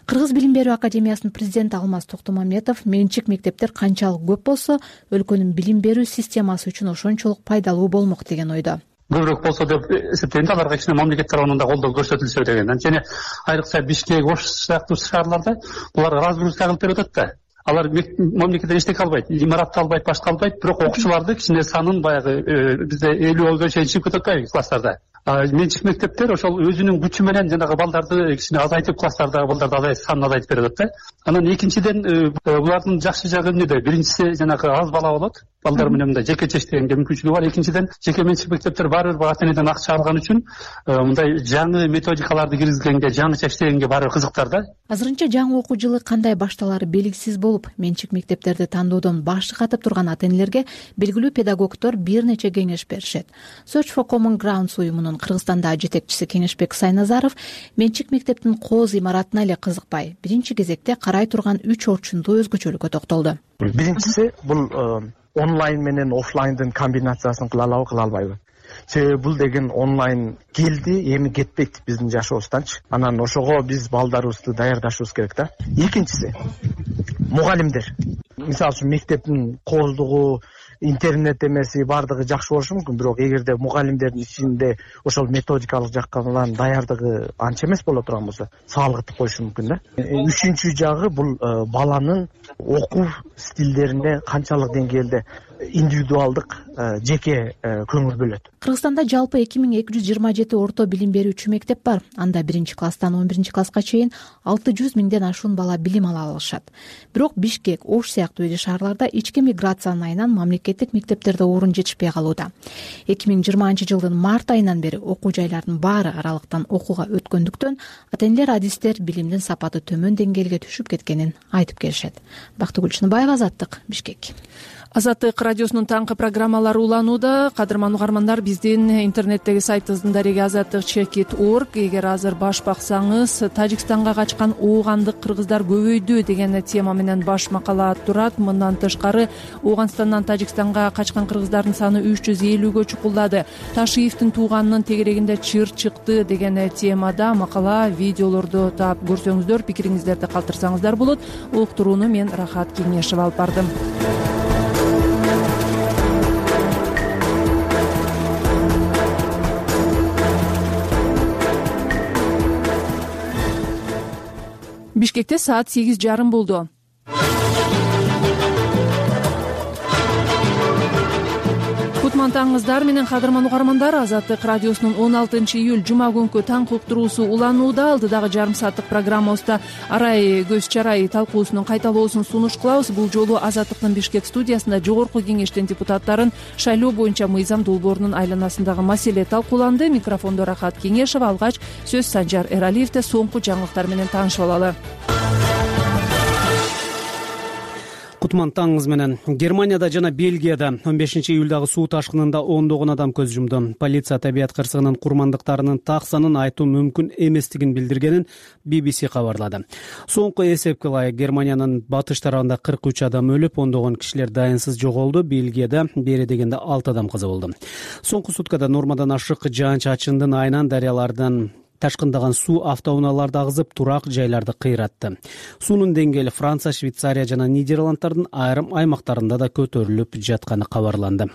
Кыргыз билим берүү академиясынын президенти Алмаз Токтомаметов менчик мектептер канчалык көп болсо, өлкөнүн билим берүү системасы үчүн ошончолук пайдалуу болмок деген ойдо. Көбүрөөк болсо деп эсептейм да, аларга кичине мамлекет тарабынан да колдоо көрсөтүлсө деген. Анткени айрыкча Бишкек, Ош сыяктуу шаарларда булар разгрузка кылып берип атат да. Алар мамлекеттен эчтеке албайт, имаратты албайт, башка албайт, бирок окуучуларды кичине санын баягы бизде элүүгө чейин чыгып кетип атпайбы класстарда. Менчик мектептер ошол өзүнүн күчү менен жанагы балдарды кичине азайтып, класстардагы балдарды азайтып, санын азайтып берип атат да. Анан экинчиден булардын жакшы жагы эмнеде? Биринчиси жанагы аз бала болот, балдар менен мындай жеке чечтегенге мүмкүнчүлүгү бар. Экинчиден жеке менчик мектептер баары бир ата-энеден акча алган үчүн мындай жаңы методикаларды киргизгенге, жаңы чечтегенге баары кызыктар да. Азырынча жаңы окуу жылы кандай башталары белгисиз болуп, менчик мектептерди тандоодон башы катып турган ата-энелерге белгилүү педагогдор бир нече кеңеш беришет. Search for Common Grounds уюмунун Кыргызстандагы жетекчиси Кеңешбек Сайназаров менчик мектептин кооз имаратына эле кызыкпай, биринчи кезекте карай турган үч орчундуу өзгөчөлүккө токтолду. Биринчиси бул онлайн менен офлайндын комбинациясын кыла алабы, кыла албайбы? Себеби бул деген онлайн келди, эми кетпейт биздин жашообузданчы. Анан ошого биз балдарыбызды даярдашыбыз керек да. Экинчиси мугалимдер. Мисалы үчүн мектептин кооздугу, интернет эмеси баардыгы жакшы болушу мүмкүн, бирок эгерде мугалимдердин ичинде ошол методикалык жактан даярдыгы анча эмес боло турган болсо саалгытып коюшу мүмкүн да. Үчүнчү жагы бул баланын окуу стилдерине канчалык деңгээлде индивидуалдык жеке көңүл бөлөт. Кыргызстанда жалпы эки миң эки жүз жыйырма жети орто билим берүүчү мектеп бар. Анда биринчи класстан он биринчи класска чейин алты жүз миңден ашуун бала билим ала алышат. Бирок Бишкек, Ош сыяктуу ири шаарларда ички миграциянын айынан мамлекеттик мектептерде орун жетишпей калууда. эки миң жыйырманчы жылдын март айынан бери окуу жайлардын баары аралыктан окууга өткөндүктөн ата-энелер, адистер билимдин сапаты төмөн деңгээлге түшүп кеткенин айтып келишет. Бактыгүл Чыныбаева, Азаттык, Бишкек. Азаттык радиосунун таңкы программалары уланууда. Кадырман угармандар, биздин интернеттеги сайтыбыздын дареги азаттык чекит точка орг. Эгер азыр баш баксаңыз, Тажикстанга качкан оогандык кыргыздар көбөйдү деген тема менен баш макала турат. Мындан тышкары Ооганстандан Тажикстанга качкан кыргыздардын саны үч жүз элүүгө чукулдады. Ташиевдин тууганынын тегерегинде чыр чыкты деген темада макала, видеолорду таап көрсөңүздөр, пикириңиздерди калтырсаңыздар болот. Уктурууну мен Рахат Кеңешева алып бардым. Бишкекте саат сегиз жарым болду. Кутмантаңыздар менен кадырман угармандар, Азаттык радиосунун он алтынчы июль жума күнкү таңкы уктуруусу уланууда. Алдыдагы жарым сааттык программабызда арай көз чарай талкуусунун кайталоосун сунуш кылабыз. Бул жолу Азаттыктын Бишкек студиясында жогорку кеңештин депутаттарын шайлоо боюнча мыйзам долбоорунун айланасындагы маселе талкууланды. Микрофондо Рахат Кеңешева, алгач сөз Санжар Эралиевде. Соңку жаңылыктар менен таанышып алалы. Кутман таңыңыз менен. Германияда жана Бельгияда он бешинчи июлдагы суу ташкынында ондогон адам көз жумду. Полиция табият кырсыгынын курмандыктарынын так санын айтуу мүмкүн эместигин билдиргенин би би си кабарлады. Соңку эсепке ылайык Германиянын батыш тарабында кырк үч адам өлүп, ондогон кишилер дайынсыз жоголду. Бельгияда бери дегенде алты адам каза болду. Соңку суткада нормадан ашык жаан-чачындын айынан дарыялардан ташкындаган суу автоунааларды агызып, турак жайларды кыйратты. Суунун деңгээли Франция, Швейцария жана Нидерланддардын айрым аймактарында да көтөрүлүп жатканы кабарланды.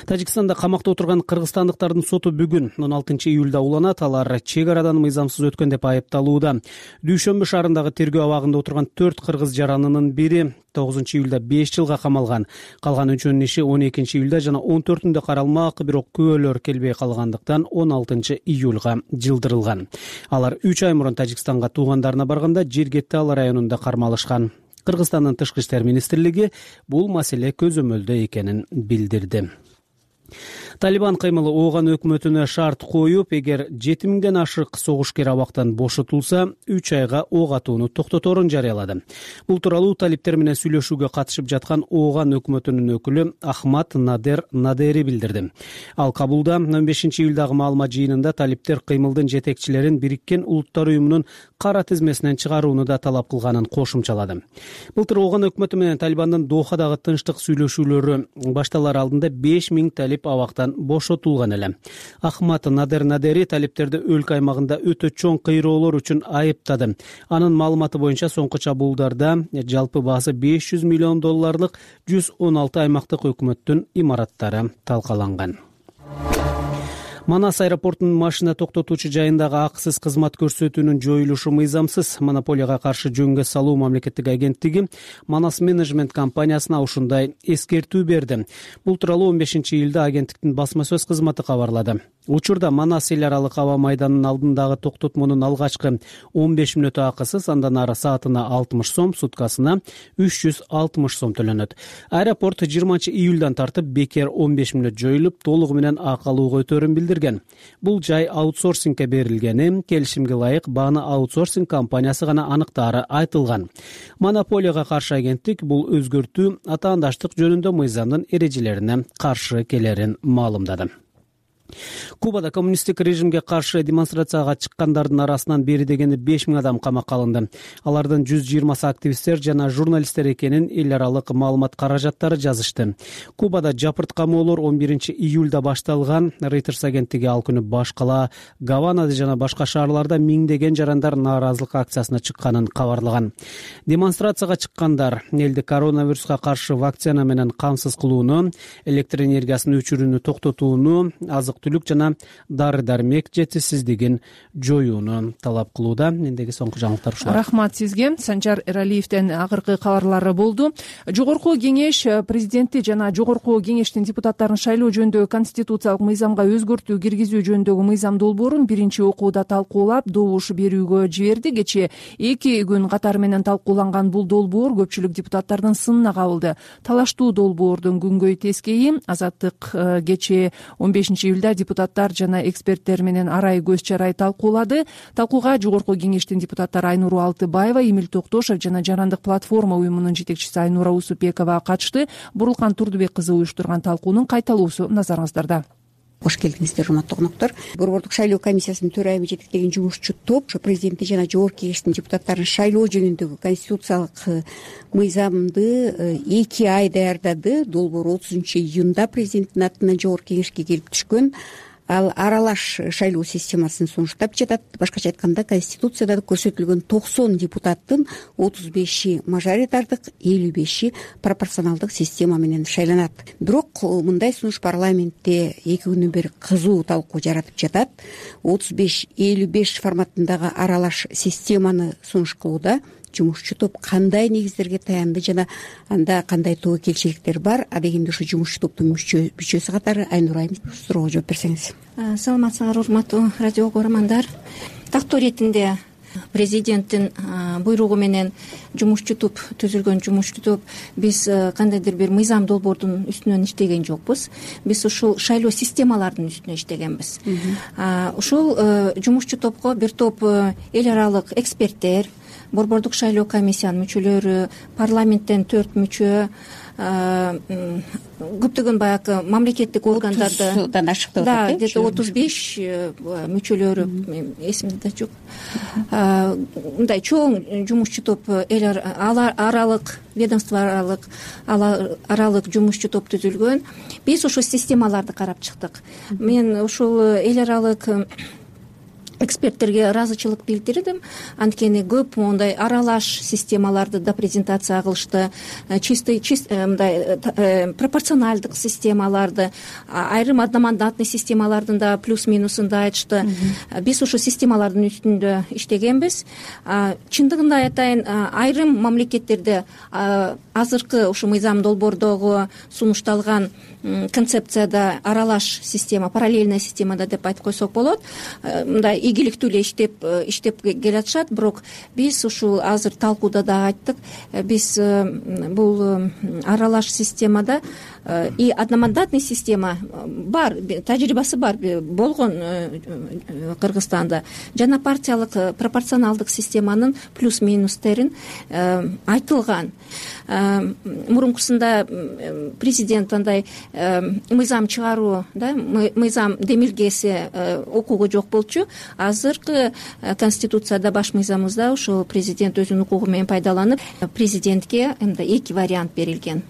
Тажикстанда камакта отурган кыргызстандыктардын соту бүгүн он алтынчы июлда уланат. Алар чек арадан мыйзамсыз өткөн деп айыпталууда. Дүйшөмбү шаарындагы тергөө абагында отурган төрт кыргыз жаранынын бири тогузунчу июлда беш жылга камалган. Калган үчөөнүн иши он экинчи июлда жана он төртүндө каралмак, бирок күбөлөр келбей калгандыктан он алтынчы июлга жылдырылган. Алар үч ай мурун Тажикстанга туугандарына барганда Жергетти Ала районунда кармалышкан. Кыргызстандын тышкы иштер министрлиги бул маселе көзөмөлдө экенин билдирди. Талибан кыймылы Ооган өкмөтүнө шарт коюп, эгер жети миңден ашык согушкер абактан бошотулса, үч айга ок атууну токтоторун жарыялады. Бул тууралуу талиптер менен сүйлөшүүгө катышып жаткан Ооган өкмөтүнүн өкүлү Ахмат Надер Надери билдирди. Ал Кабулда он бешинчи июлдагы маалымат жыйынында талиптер кыймылдын жетекчилерин Бириккен Улуттар уюмунун кара тизмесинен чыгарууну да талап кылганын кошумчалады. Былтыр Ооган өкмөтү менен Талибандын Дохадагы тынчтык сүйлөшүүлөрү башталар алдында беш миң талип абактан бошотулган эле. Ахмат Надер Надери талиптерди өлкө аймагында өтө чоң кыйроолор үчүн айыптады. Анын маалыматы боюнча соңку чабуулдарда жалпы баасы беш жүз миллион долларлык жүз он алты аймактык өкмөттүн имараттары талкаланган. Манас аэропортунун машина токтотуучу жайындагы акысыз кызмат көрсөтүүнүн жоюлушу мыйзамсыз. Монополияга каршы жөнгө салуу мамлекеттик агенттиги Манас менеджмент компаниясына ушундай эскертүү берди. Бул тууралуу он бешинчи июлда агенттиктин басма сөз кызматы кабарлады. Учурда Манас эл аралык аба майданынын алдындагы токтотмонун алгачкы он беш мүнөтү акысыз, андан ары саатына алтымыш сом, суткасына үч жүз алтымыш сом төлөнөт. Аэропорт жыйырманчы июлдан тартып бекер он беш мүнөт жоюлуп, толугу менен ак алууга өтөрүн билдирген. Бул жай аутсорсингге берилгени, келишимге ылайык бааны аутсорсинг компаниясы гана аныктаары айтылган. Монополияга каршы агенттик бул өзгөртүү атаандаштык жөнүндө мыйзамдын эрежелерине каршы келерин маалымдады. Кубада коммунисттик режимге каршы демонстрацияга чыккандардын арасынан бери дегенде беш миң адам камакка алынды. Алардын жүз жыйырмасы активисттер жана журналисттер экенин эл аралык маалымат каражаттары жазышты. Кубада жапырт камоолор он биринчи июлда башталган. Reuters агенттиги ал күнү баш кала Гаванада жана башка шаарларда миңдеген жарандар нааразылык акциясына чыкканын кабарлаган. Демонстрацияга чыккандар элди коронавируска каршы вакцина менен камсыз кылууну, электр энергиясынын өчүрүүнү токтотууну, азык түлүк жана дары дармек жетишсиздигин жоюуну талап кылууда. Мендеги соңку жаңылыктар ушулар. Рахмат сизге. Санжар Эралиевден акыркы кабарлары болду. Жогорку кеңеш президенти жана жогорку кеңештин депутаттарын шайлоо жөнүндөгү конституциялык мыйзамга өзгөртүү киргизүү жөнүндөгү мыйзам долбоорун биринчи окууда талкуулап добуш берүүгө жиберди. Кечээ эки күн катары менен талкууланган бул долбоор көпчүлүк депутаттардын сынына кабылды. Талаштуу долбоордун күнгөй тескейи Азаттык кечээ он бешинчи июлда депутаттар жана эксперттер менен арай көз чарай талкуулады. Талкууга жогорку кеңештин депутаттары Айнура Алтыбаева, Эмил Токтошев жана Жарандык платформа уюмунун жетекчиси Айнура Усупекова катышты. Бурулкан Турдубек кызы уюштурган талкуунун кайталоосу назарыңыздарда. Кош келдиңиздер, урматтуу коноктор. Борбордук шайлоо комиссиясынын төрайымы жетектеген жумушчу топ ушу президенти жана жогорку кеңештин депутаттарын шайлоо жөнүндөгү конституциялык мыйзамды эки ай даярдады. Долбоор отузунчу июнда президенттин атынан жогорку кеңешке келип түшкөн. Ал аралаш шайлоо системасын сунуштап жатат. Башкача айтканда, конституцияда көрсөтүлгөн токсон депутаттын отуз беши мажоритардык, элүү беши пропорционалдык система менен шайланат. Бирок мындай сунуш парламентте эки күнүн бери кызуу талкуу жаратып жатат. отуз беш элүү беш форматындагы аралаш системаны сунуш кылууда жумушчу топ кандай негиздерге таянды жана анда кандай тобокелчиликтер бар? Адегенде ушу жумушчу топтун мүчөсү катары Айнура айым суроого жооп берсеңиз. Саламатсыңар, урматтуу радио көрөрмандар. Тактоо иретинде президенттин буйругу менен жумушчу топ түзүлгөн жумушчу топ биз кандайдыр бир мыйзам долбоордун үстүнөн иштеген жокпуз. Биз ушул шайлоо системалардын үстүнө иштегенбиз. Ушул жумушчу топко бир топ эл аралык эксперттер, борбордук шайлоо комиссиянын мүчөлөрү, парламенттен төрт мүчө, көптөгөн баягы мамлекеттик органдарды отуздан ашык деп атат. Да, где то отуз беш мүчөлөрү, эсимде да жок. Мындай чоң жумушчу топ, эл аралык, ведомство аралык, аралык жумушчу топ түзүлгөн. Биз ушул системаларды карап чыктык. Мен ушул эл аралык эксперттерге ыраазычылык билдирдим. Анткени көп мондай аралаш системаларды да презентация кылышты, чистый мындай пропорционалдык системаларды, айрым одномандатный системалардын да плюс минусун да айтышты. Биз ушул системалардын үстүндө иштегенбиз. Чындыгында айтайын, айрым мамлекеттерде азыркы ушу мыйзам долбоордогу сунушталган концепцияда аралаш система, параллельная системада деп айтып койсок болот. Мындай ийгиликтүү эле иштеп иштеп келатышат. Бирок биз ушул азыр талкууда да айттык, биз бул аралаш системада и одномандатный система бар, тажрыйбасы бар, болгон Кыргызстанда. Жана партиялык пропорционалдык системанын плюс минустерин айтылган. Мурункусунда президент андай мыйзам чыгаруу, да, мыйзам демилгеси укугу жок болчу. Азыркы конституцияда, баш мыйзамыбызда ушул президент өзүнүн укугу менен пайдаланып, президентке мындай эки вариант берилген.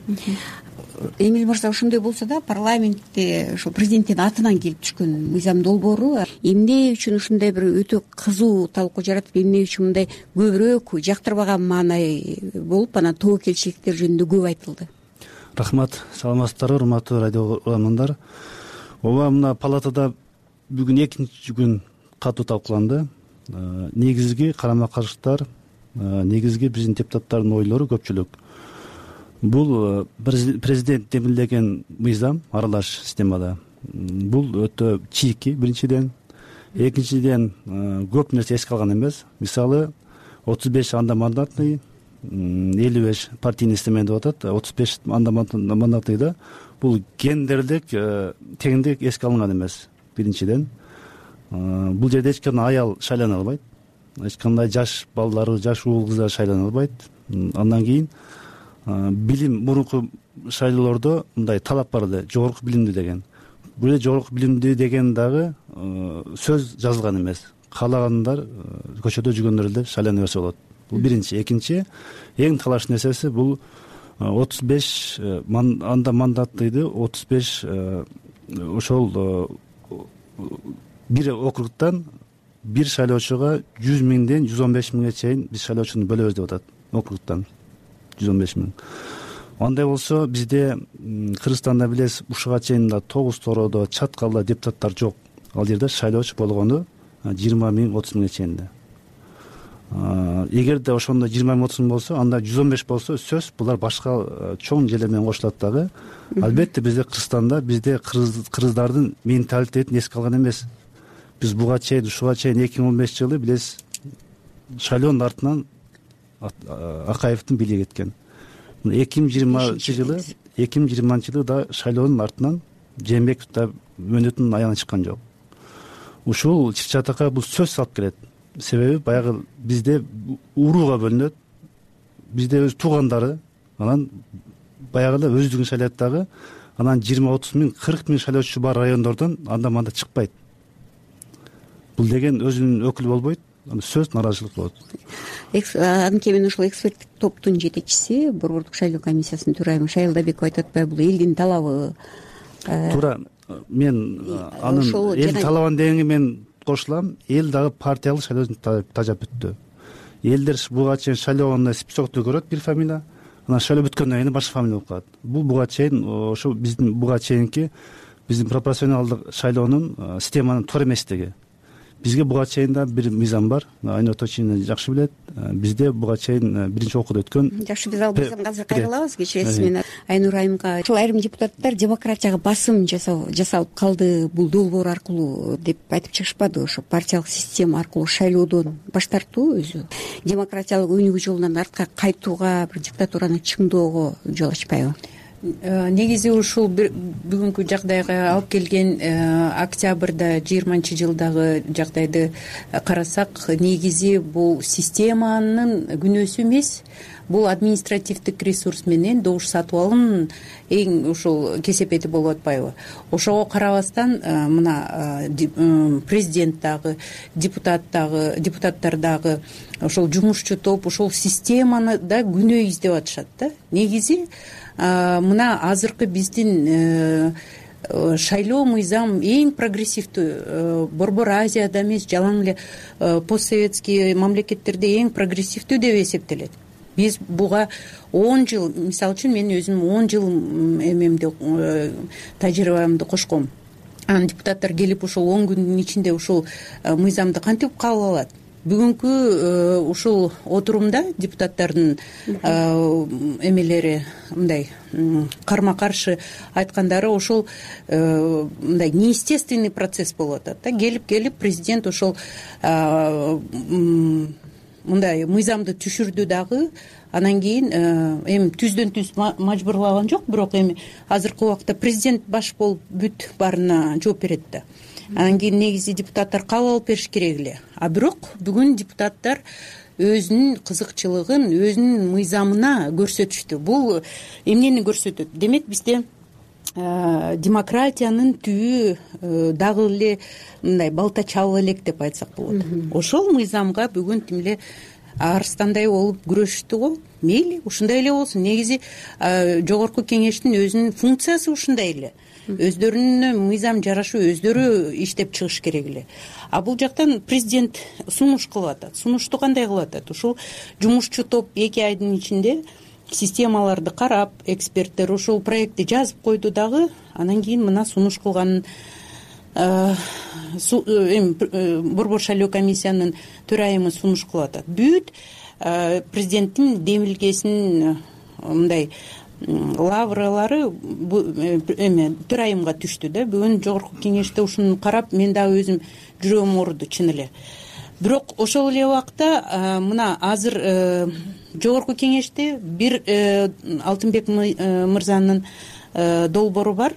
Эмил мырза, ошондой болсо да, парламентте ошо президенттин атынан келип түшкөн мыйзам долбоору эмне үчүн ушундай бир өтө кызуу талкуу жаратып, эмне үчүн мындай көбүрөөк жактырбаган маанай болуп, анан тобокелчиликтер жөнүндө көп айтылды? Рахмат, саламатсыздарбы, урматтуу радио көрөрмандар. Ооба, мына палатада бүгүн экинчи күн катуу талкууланды. Негизги карама-каршылыктар, негизги биздин депутаттардын ойлору көпчүлүк. Бул президент демилдеген мыйзам аралаш системада. Бул өтө чийки, биринчиден. Экинчиден, көп нерсе эске алган эмес. Мисалы, отуз беш андамандатный, элүү беш партийный система деп атат. отуз беш андамандатныйда бул гендерлик теңдик эске алынган эмес. Биринчиден, бул жерде эч кандай аял шайлана албайт, эч кандай жаш балдары, жаш уул кыздар шайлана албайт. Андан кийин билим, мурунку шайлоолордо мындай талап бар эле, жогорку билимдүү деген. бул жерде жогорку билимдүү деген дагы сөз жазылган эмес. Каалагандар көчөдө жүргөндөр эле шайлана берсе болот. Бул биринчи. Экинчи, эң талаш нерсеси бул отуз беш анда мандаттыйды отуз беш ошол бир округтан бир шайлоочуга жүз миңден жүз он беш миңге чейин биз шайлоочуну бөлөбүз деп атат. Округтан жүз он беш миң. Андай болсо бизде Кыргызстанда билесиз ушуга чейин да тогуз тоородо чаткалда депутаттар жок. Ал жерде шайлоочу болгону жыйырма миң отуз миңге чейин да. Эгерде ошондо жыйырма миң отуз миң болсо, анда жүз он беш болсо сөз булар башка чоң желе менен кошулат дагы. Албетте бизде Кыргызстанда бизде кыргыздардын менталитетин эске алган эмес. Биз буга чейин ушуга чейин эки миң он бешинчи жылы билесиз шайлоонун артынан Акаевдин бийлиги кеткен. эки миң жыйырманчы жылы эки миң жыйырманчы жылы да шайлоонун артынан Жээнбеков да мөөнөтүнүн аягына чыккан жок. Ушул чыр-чатакка бул сөз салып келет. Себеби баягы бизде урууга бөлүнөт. Бизде өз туугандары анан баягы эле өздүгүн шайлайт дагы. Анан жыйырма отуз миң кырк миң шайлоочу бар райондордон анда мында чыкпайт. Бул деген өзүнүн өкүлү болбойт. Сөз нааразычылык болот. Анткени мен ушул эксперттик топтун жетекчиси, Борбордук шайлоо комиссиясынын төрайымы Шайылдабеков айтып атпайбы, бул элдин талабы. Туура. Мен анын эл талабын дегенге мен кошулам. Эл дагы партиялык шайлоодон тажап бүттү. Элдер буга чейин шайлоогондо списокту көрөт бир фамилия, анан шайлоо бүткөндөн кийин башка фамилия болуп калат. Бул буга чейин ошо биздин буга чейинки биздин пропорционалдык шайлоонун системанын туура эместиги. Бизге буга чейин да бир мыйзам бар. Айнур Точинин жакшы билет. Бизде буга чейин биринчи окууда өткөн. Жакшы, биз ал мыйзамга азыр кайрылабыз. Кечиресиз, мен Айнур айымга ушул айрым депутаттар демократияга басым жасалып калды, бул долбоор аркылуу деп айтып чыгышпады. Ошо партиялык система аркылуу шайлоодон баш тартуу өзү демократиялык өнүгүү жолунан артка кайтууга, бир диктатураны чыңдоого жол ачпайбы? Негизи ушул бүгүнкү жагдайга алып келген октябрда жыйырманчы жылдагы жагдайды карасак, негизи бул системанын күнөөсү эмес, бул административдик ресурс менен добуш сатып алуунун эң ушул кесепети болуп атпайбы? Ошого карабастан мына президент дагы, депутат дагы, депутаттар дагы, ошол жумушчу топ ушул системаны да күнөө издеп атышат да. Негизи мына азыркы биздин шайлоо мыйзам эң прогрессивдүү, Борбор Азияда эмес, жалаң эле постсоветский мамлекеттерде эң прогрессивдүү деп эсептелет. Биз буга он жыл, мисалы үчүн мен өзүм он жыл эмемди, тажрыйбамды кошком. Анан депутаттар келип ушул он күндүн ичинде ушул мыйзамды кантип кабыл алат? Бүгүнкү ушул отурумда депутаттардын эмелери мындай карма каршы айткандары ошол мындай неестественный процесс болуп атат да. Келип келип президент ошол мындай мыйзамды түшүрдү дагы, анан кийин эми түздөн түз мажбурлаган жок, бирок эми азыркы убакта президент баш болуп бүт баарына жооп берет да. Анан кийин негизи депутаттар кабыл алып бериш керек эле. А бирок бүгүн депутаттар өзүнүн кызыкчылыгын өзүнүн мыйзамына көрсөтүштү. Бул эмнени көрсөтөт? Демек бизде демократиянын түбү дагы эле мындай балта чабыла элек деп айтсак болот. Ошол мыйзамга бүгүн тим эле арстандай болуп күрөшүштү го. Мейли, ушундай эле болсун. Негизи жогорку кеңештин өзүнүн функциясы ушундай эле. Өздөрүнүн мыйзам жарашуу, өздөрү иштеп чыгыш керек эле. А бул жактан президент сунуш кылып атат. Сунушту кандай кылып атат? Ушул жумушчу топ эки айдын ичинде системаларды карап, эксперттер ушул проектти жазып койду дагы, анан кийин мына сунуш кылганын Борбор шайлоо комиссиянын төрайымы сунуш кылып атат. Бүт президенттин демилгесинин мындай лавралары эме төрайымга түштү да. Бүгүн жогорку кеңеште ушуну карап мен дагы өзүм жүрөгүм ооруду чын эле. Бирок ошол эле убакта мына азыр жогорку кеңеште бир Алтынбек мырзанын долбоору бар.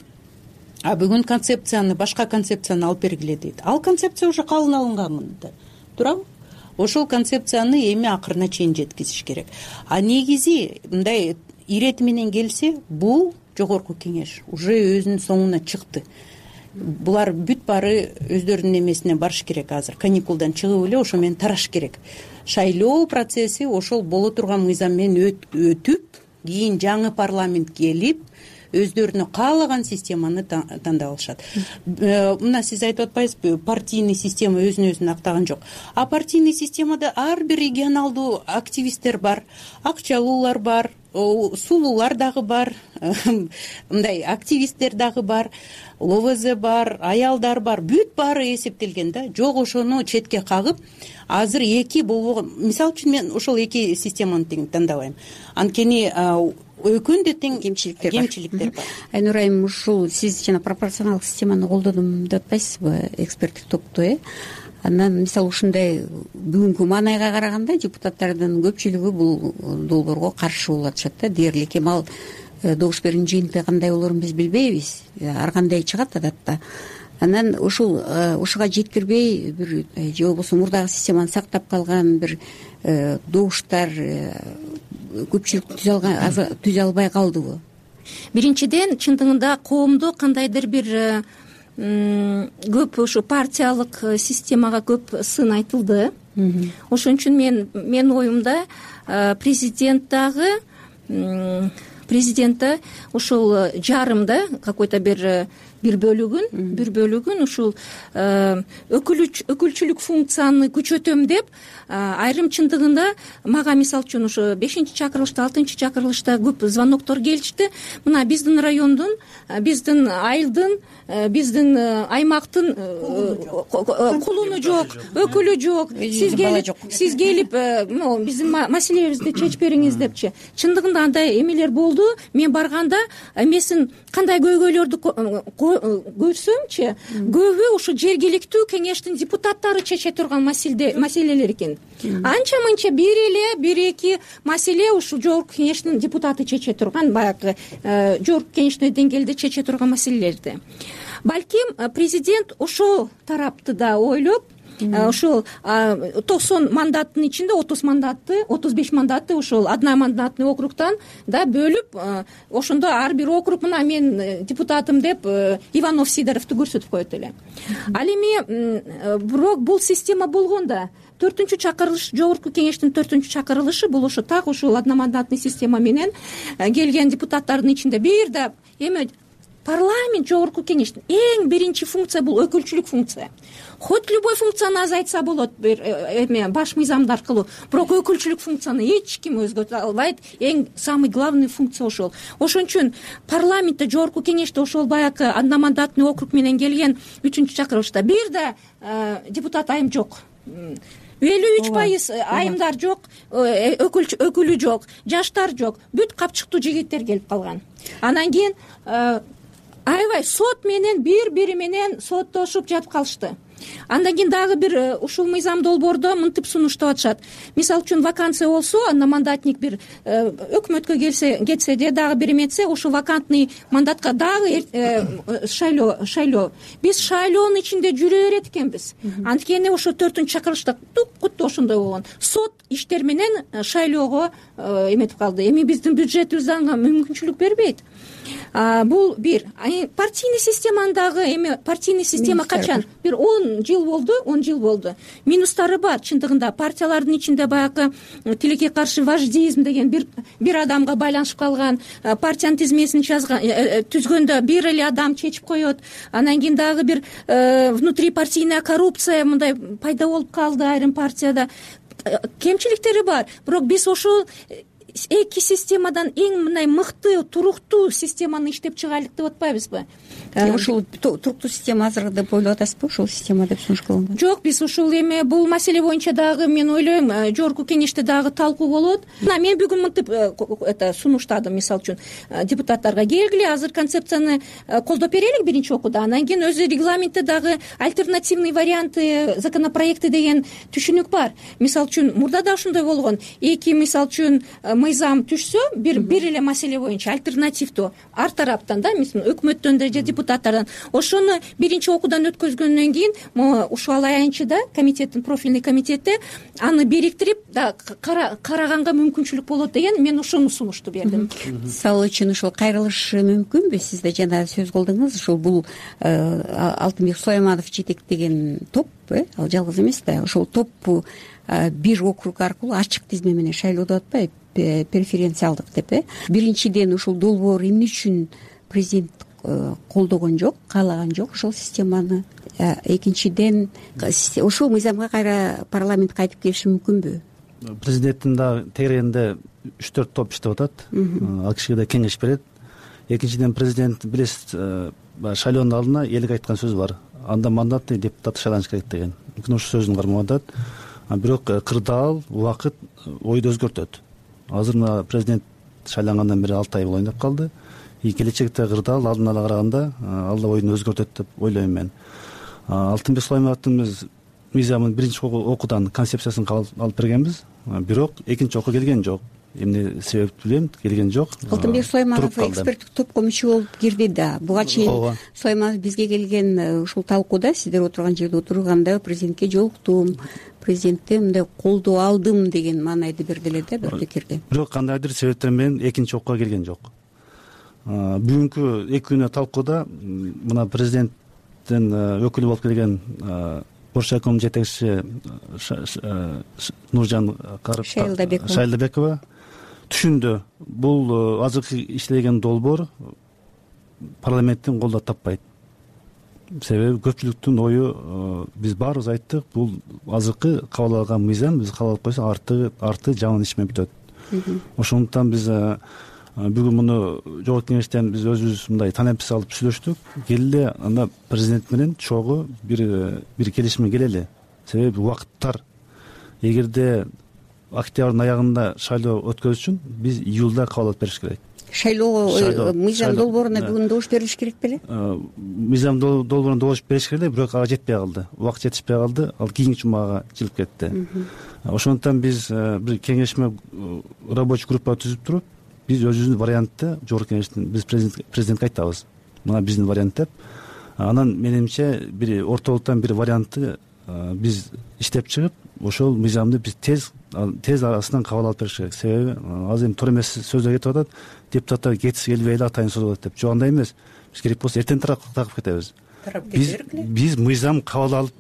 А бүгүн концепцияны, башка концепцияны алып бергиле дейт. Ал концепция уже кабыл алынган да. Туурабы? Ошол концепцияны эми акырына чейин жеткизиш керек. А негизи мындай ирети менен келсе, бул жогорку кеңеш уже өзүнүн соңуна чыкты. булар бүт баары өздөрүнүн эмесине барыш керек. Азыр каникулдан чыгып эле ошо менен тараш керек. Шайлоо процесси ошол боло турган мыйзам менен өтүп, кийин жаңы парламент келип өздөрүнө каалаган системаны тандап алышат. Мына сиз айтып атпайсызбы, партийный система өзүн өзүн актаган жок. А партийный системада ар бир регионалдуу активисттер бар, акчалуулар бар, сулуулар дагы бар, мындай активисттер дагы бар, ЛОВЗ бар, аялдар бар, бүт баары эсептелген да. Жок, ошону четке кагып, азыр эки болбогон. Мисалы үчүн мен ошол эки системаны тең тандабайм. Анткени экөөнүндө тең кемчиликтер кемчиликтер бар. Айнур айым, ушул сиз жана пропорционалдык системаны колдодум деп атпайсызбы эксперттик топту, э? Андан мисалы ушундай бүгүнкү маанайга караганда депутаттардын көпчүлүгү бул долбоорго каршы болуп атышат да. Дээрлик эми ал добуш берүүнүн жыйынтыгы кандай болоорун биз билбейбиз. Ар кандай чыгат адатта. Анан ушул ушуга жеткирбей бир же болбосо мурдагы системаны сактап калган бир добуштар көпчүлүк түзө албай калдыбы? Биринчиден, чындыгында коомдо кандайдыр бир көп ушу партиялык системага көп сын айтылды. Ошон үчүн мен менин оюмда президент дагы президентте ушул жарымда какой-то бир бир бөлүгүн бир бөлүгүн ушул өкүлчүлүк функцияны күчөтөм деп айрым чындыгында мага мисалы үчүн ушу бешинчи чакырылышта, алтынчы чакырылышта көп звоноктор келишти. Мына биздин райондун, биздин айылдын, биздин аймактын кулуну жок, өкүлү жок, сиз келип сиз келип биздин маселебизди чечип бериңиз депчи. Чындыгында андай эмелер болду. Мен барганда эмесин кандай көйгөйлөрдү көрсөмчү, көбү ушу жергиликтүү кеңештин депутаттары чече турган маселелер экен. Анча мынча бир эле бир эки маселе ушу жогорку кеңештин депутаты чече турган, баягы жогорку кеңештин деңгээлде чече турган маселелерди. Балким президент ошол тарапты да ойлоп, ошол токсон мандаттын ичинде отуз мандатты, отуз беш мандатты ошол одномандатный округтан да бөлүп, ошондо ар бир округ мына мен депутатым деп Иванов Сидоровду көрсөтүп коет эле. Ал эми бирок бул система болгондо төртүнчү чакырылыш, жогорку кеңештин төртүнчү чакырылышы бул ошо так ушул одномандатный система менен келген депутаттардын ичинде бир да эми парламент жогорку кеңештин эң биринчи функция бул өкүлчүлүк функция. Хоть любой функцияны азайтса болот бир эме баш мыйзамдар аркылуу, бирок өкүлчүлүк функцияны эч ким өзгөртө албайт. Эң самый главный функция ошол. Ошон үчүн парламентте жогорку кеңеште ошол баягы одномандатный округ менен келген үчүнчү чакырылышта бир да депутат айым жок. элүү үч пайыз айымдар жок, өкүлү жок, жаштар жок, бүт капчыктуу жигиттер келип калган. Анан кийин аябай сот менен бири-бири менен соттошуп жатып калышты. Андан кийин дагы бир ушул мыйзам долбоордо мынтип сунуштап атышат. Мисалы үчүн вакансия болсо, одномандатник бир өкмөткө келсе, кетсе де дагы бир эметсе, ушул вакантный мандатка дагы шайлоо, шайлоо. Биз шайлоонун ичинде жүрө берет экенбиз. Анткени ошо төртүнчү чакырылышта тук-куту ошондой болгон. Сот иштер менен шайлоого эметип калды. Эми биздин бюджетибиз ага мүмкүнчүлүк бербейт. Бул бир. Партийный системандагы эми партийный система качан? Бир он жыл болду, он жыл болду. Минустары бар чындыгында. Партиялардын ичинде баягы тилекке каршы вождизм деген бир бир адамга байланышып калган, партиянын тизмесин түзгөндө бир эле адам чечип коет. Анан кийин дагы бир внутрипартийная коррупция мындай пайда болуп калды айрым партияда. Кемчиликтери бар. Бирок биз ошол эки системадан эң мындай мыкты, туруктуу системаны иштеп чыгайлык деп атпайбызбы? Ушул туруктуу система азыр деп ойлоп атасызбы, ушул система деп сунуш кылынган? Жок, биз ушул эме бул маселе боюнча дагы мен ойлойм, жогорку кеңеште дагы талкуу болот. Мына мен бүгүн мынтип это сунуштадым, мисалы үчүн депутаттарга келгиле, азыр концепцияны колдоп берели биринчи окууда. Андан кийин өзү регламентте дагы альтернативный варианты, законопроекты деген түшүнүк бар. Мисалы үчүн мурда да ошондой болгон. Эки мисалы үчүн мыйзам түшсө, бир бир эле маселе боюнча альтернативдүү ар тараптан да, мисалы өкмөттөн да же депутаттардан ошону биринчи окуудан өткөзгөндөн кийин могу ушул аянтчыда комитеттин профильный комитети аны бириктирип караганга мүмкүнчүлүк болот деген мен ошону сунушту бердим. мисалы үчүн ушул кайрылышы мүмкүнбү? Сиз да жана сөз кылдыңыз, ушул бул Алтынбек Сулайманов жетектеген топ, ал жалгыз эмес да, ошол топ бир округ аркылуу ачык тизме менен шайлоодо атпайбы, преференциалдык деп э биринчиден ушул долбоор эмне үчүн президент колдогон жок, каалаган жок ошол системаны. Экинчиден ушул мыйзамга кайра парламент кайтып келиши мүмкүнбү? Президенттин да тегерегинде үч төрт топ иштеп атат, ал кишиге да кеңеш берет. Экинчиден президент билесиз, шайлоонун алдына элге айткан сөзү бар, анда мандатный депутат шайланыш керек деген. Мүмкүн ошол сөзүн кармап атат. Бирок кырдаал убакыт ойду өзгөртөт. Азыр мына президент шайлангандан бери алты ай болоюн деп калды. И келечекте кырдаал алдын ала караганда ал да ойун өзгөртөт деп ойлойм мен. Алтынбек Сулаймановдун биз мыйзамын биринчи окуудан концепциясын алып бергенбиз, бирок экинчи окуу келген жок. Эмне себепти билем, келген жок. Алтынбек Сулайманов эксперттик топко мүчө болуп кирди да. Буга чейин Сулайманов бизге келген ушул талкууда, сиздер отурган жерде отурганда президентке жолуктум, президенттен мындай колдоо алдым деген маанайды берди эле да бир пикирди. Бирок кандайдыр себептер менен экинчи окууга келген жок. Бүгүнкү эки күнү талкууда мына президенттин өкүлү болуп келген Боршайком жетекчиси Нуржан Шайлдабекова түшүндү, бул азыркы иштелген долбоор парламенттин колдоо таппайт. Себеби көпчүлүктүн ою, биз баарыбыз айттык, бул азыркы кабыл алган мыйзам биз кабыл алып койсок арты арты жаман иш менен бүтөт. Ошондуктан биз бүгүн муну жогорку кеңештен биз өзүбүз мындай танапис алып сүйлөштүк. Келели анда президент менен чогуу бир бир келишимге келели. Себеби убакыттар, эгерде октябрдын аягында шайлоо өткөзүш үчүн биз июлда кабыл алып бериш керек. Шайлоо мыйзам долбооруна бүгүн добуш берилиш керек беле? Мыйзам долбооруна добуш бериш керек эле, бирок ага жетпей калды. Убакыт жетишпей калды, ал кийинки жумага жылып кетти. Ошондуктан биз бир кеңешме рабочий группа түзүп туруп, биз өзүбүздүн вариантты жогорку кеңештин биз президентке айтабыз. Мына биздин вариант деп. Анан менимче бир ортолуктан бир вариантты биз иштеп чыгып, ошол мыйзамды биз тез тез арасынан кабыл алып бериш керек. Себеби азыр эми туура эмес сөздөр кетип атат, депутаттар кетиси келбей эле атайын созулат деп. Жок, андай эмес. Биз керек болсо эртең таркап кетебиз. Биз биз мыйзам кабыл алып,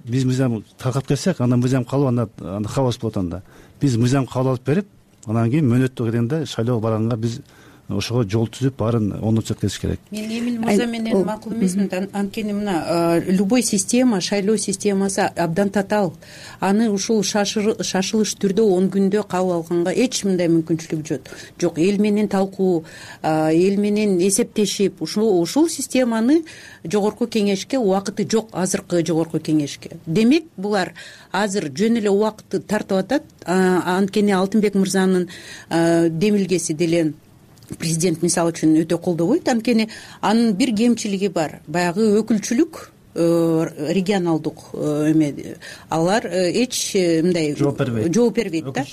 биз мыйзам таркап кетсек, андан мыйзам калып, анда анда хаос болот анда. Биз мыйзам кабыл алып берип, анан кийин мөөнөттө келгенде шайлоого барганга биз ошого жол түзүп баарын оңдоп жеткизиш керек. Мен Эмил мырза менен макул эмесмин. Анткени мына любой система, шайлоо системасы абдан татаал. Аны ушул шашылыш түрдө он күндө кабыл алганга эч мындай мүмкүнчүлүк жок. Жок, эл менен талкуу, эл менен эсептешип, ушул ушул системаны жогорку кеңешке убакыты жок, азыркы жогорку кеңешке. Демек, булар азыр жөн эле убакытты тартып атат. Анткени Алтынбек мырзанын демилгеси деле президент мисалы үчүн өтө колдобойт. Анткени анын бир кемчилиги бар. Баягы өкүлчүлүк, регионалдык эме, алар эч мындай жооп бербейт. Жооп бербейт да.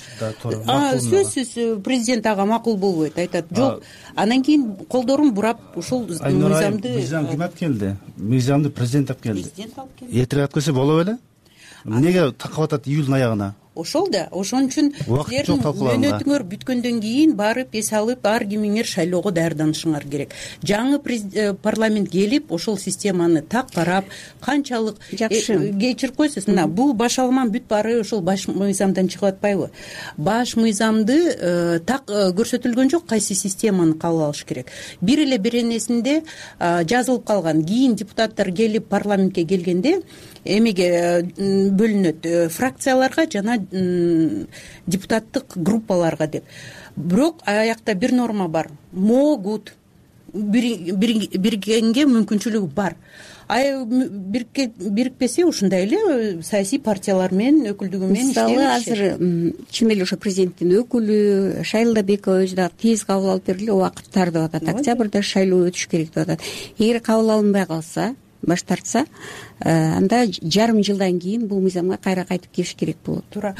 Сөзсүз президент ага макул болбойт, айтат, жок. Анан кийин колдорун бурап ушул мыйзамды мыйзам ким алып келди? Мыйзамды президент алып келди. Президент алып келди. Эртерээк алып келсе боло беле? Эмнеге такап атат июлдун аягына? Ошол да, ошон үчүн силердин мөөнөтүңөр бүткөндөн кийин барып эс алып, ар кимиңер шайлоого даярданышыңар керек. Жаңы парламент келип, ошол системаны так карап, канчалык кечирип койсуз, мына бул баш алман бүт баары ошол баш мыйзамдан чыгып атпайбы? Баш мыйзамды так көрсөтүлгөн жок, кайсы системаны кабыл алыш керек. Бир эле беренесинде жазылып калган. Кийин депутаттар келип парламентке келгенде эмеге бөлүнөт, фракцияларга жана депутаттык группаларга деп. Бирок аякта бир норма бар. Могут бириккенге мүмкүнчүлүгү бар. Ай бирикпесе ушундай эле саясий партиялар менен өкүлдүгү менен иштеп. Мисалы азыр чын эле ошо президенттин өкүлү Шайлдабекова өзү дагы тез кабыл алып бергиле, убакыт тар деп атат. Октябрда шайлоо өтүш керек деп атат. Эгер кабыл алынбай калса, баш тартса, анда жарым жылдан кийин бул мыйзамга кайра кайтып келиш керек болот. туура.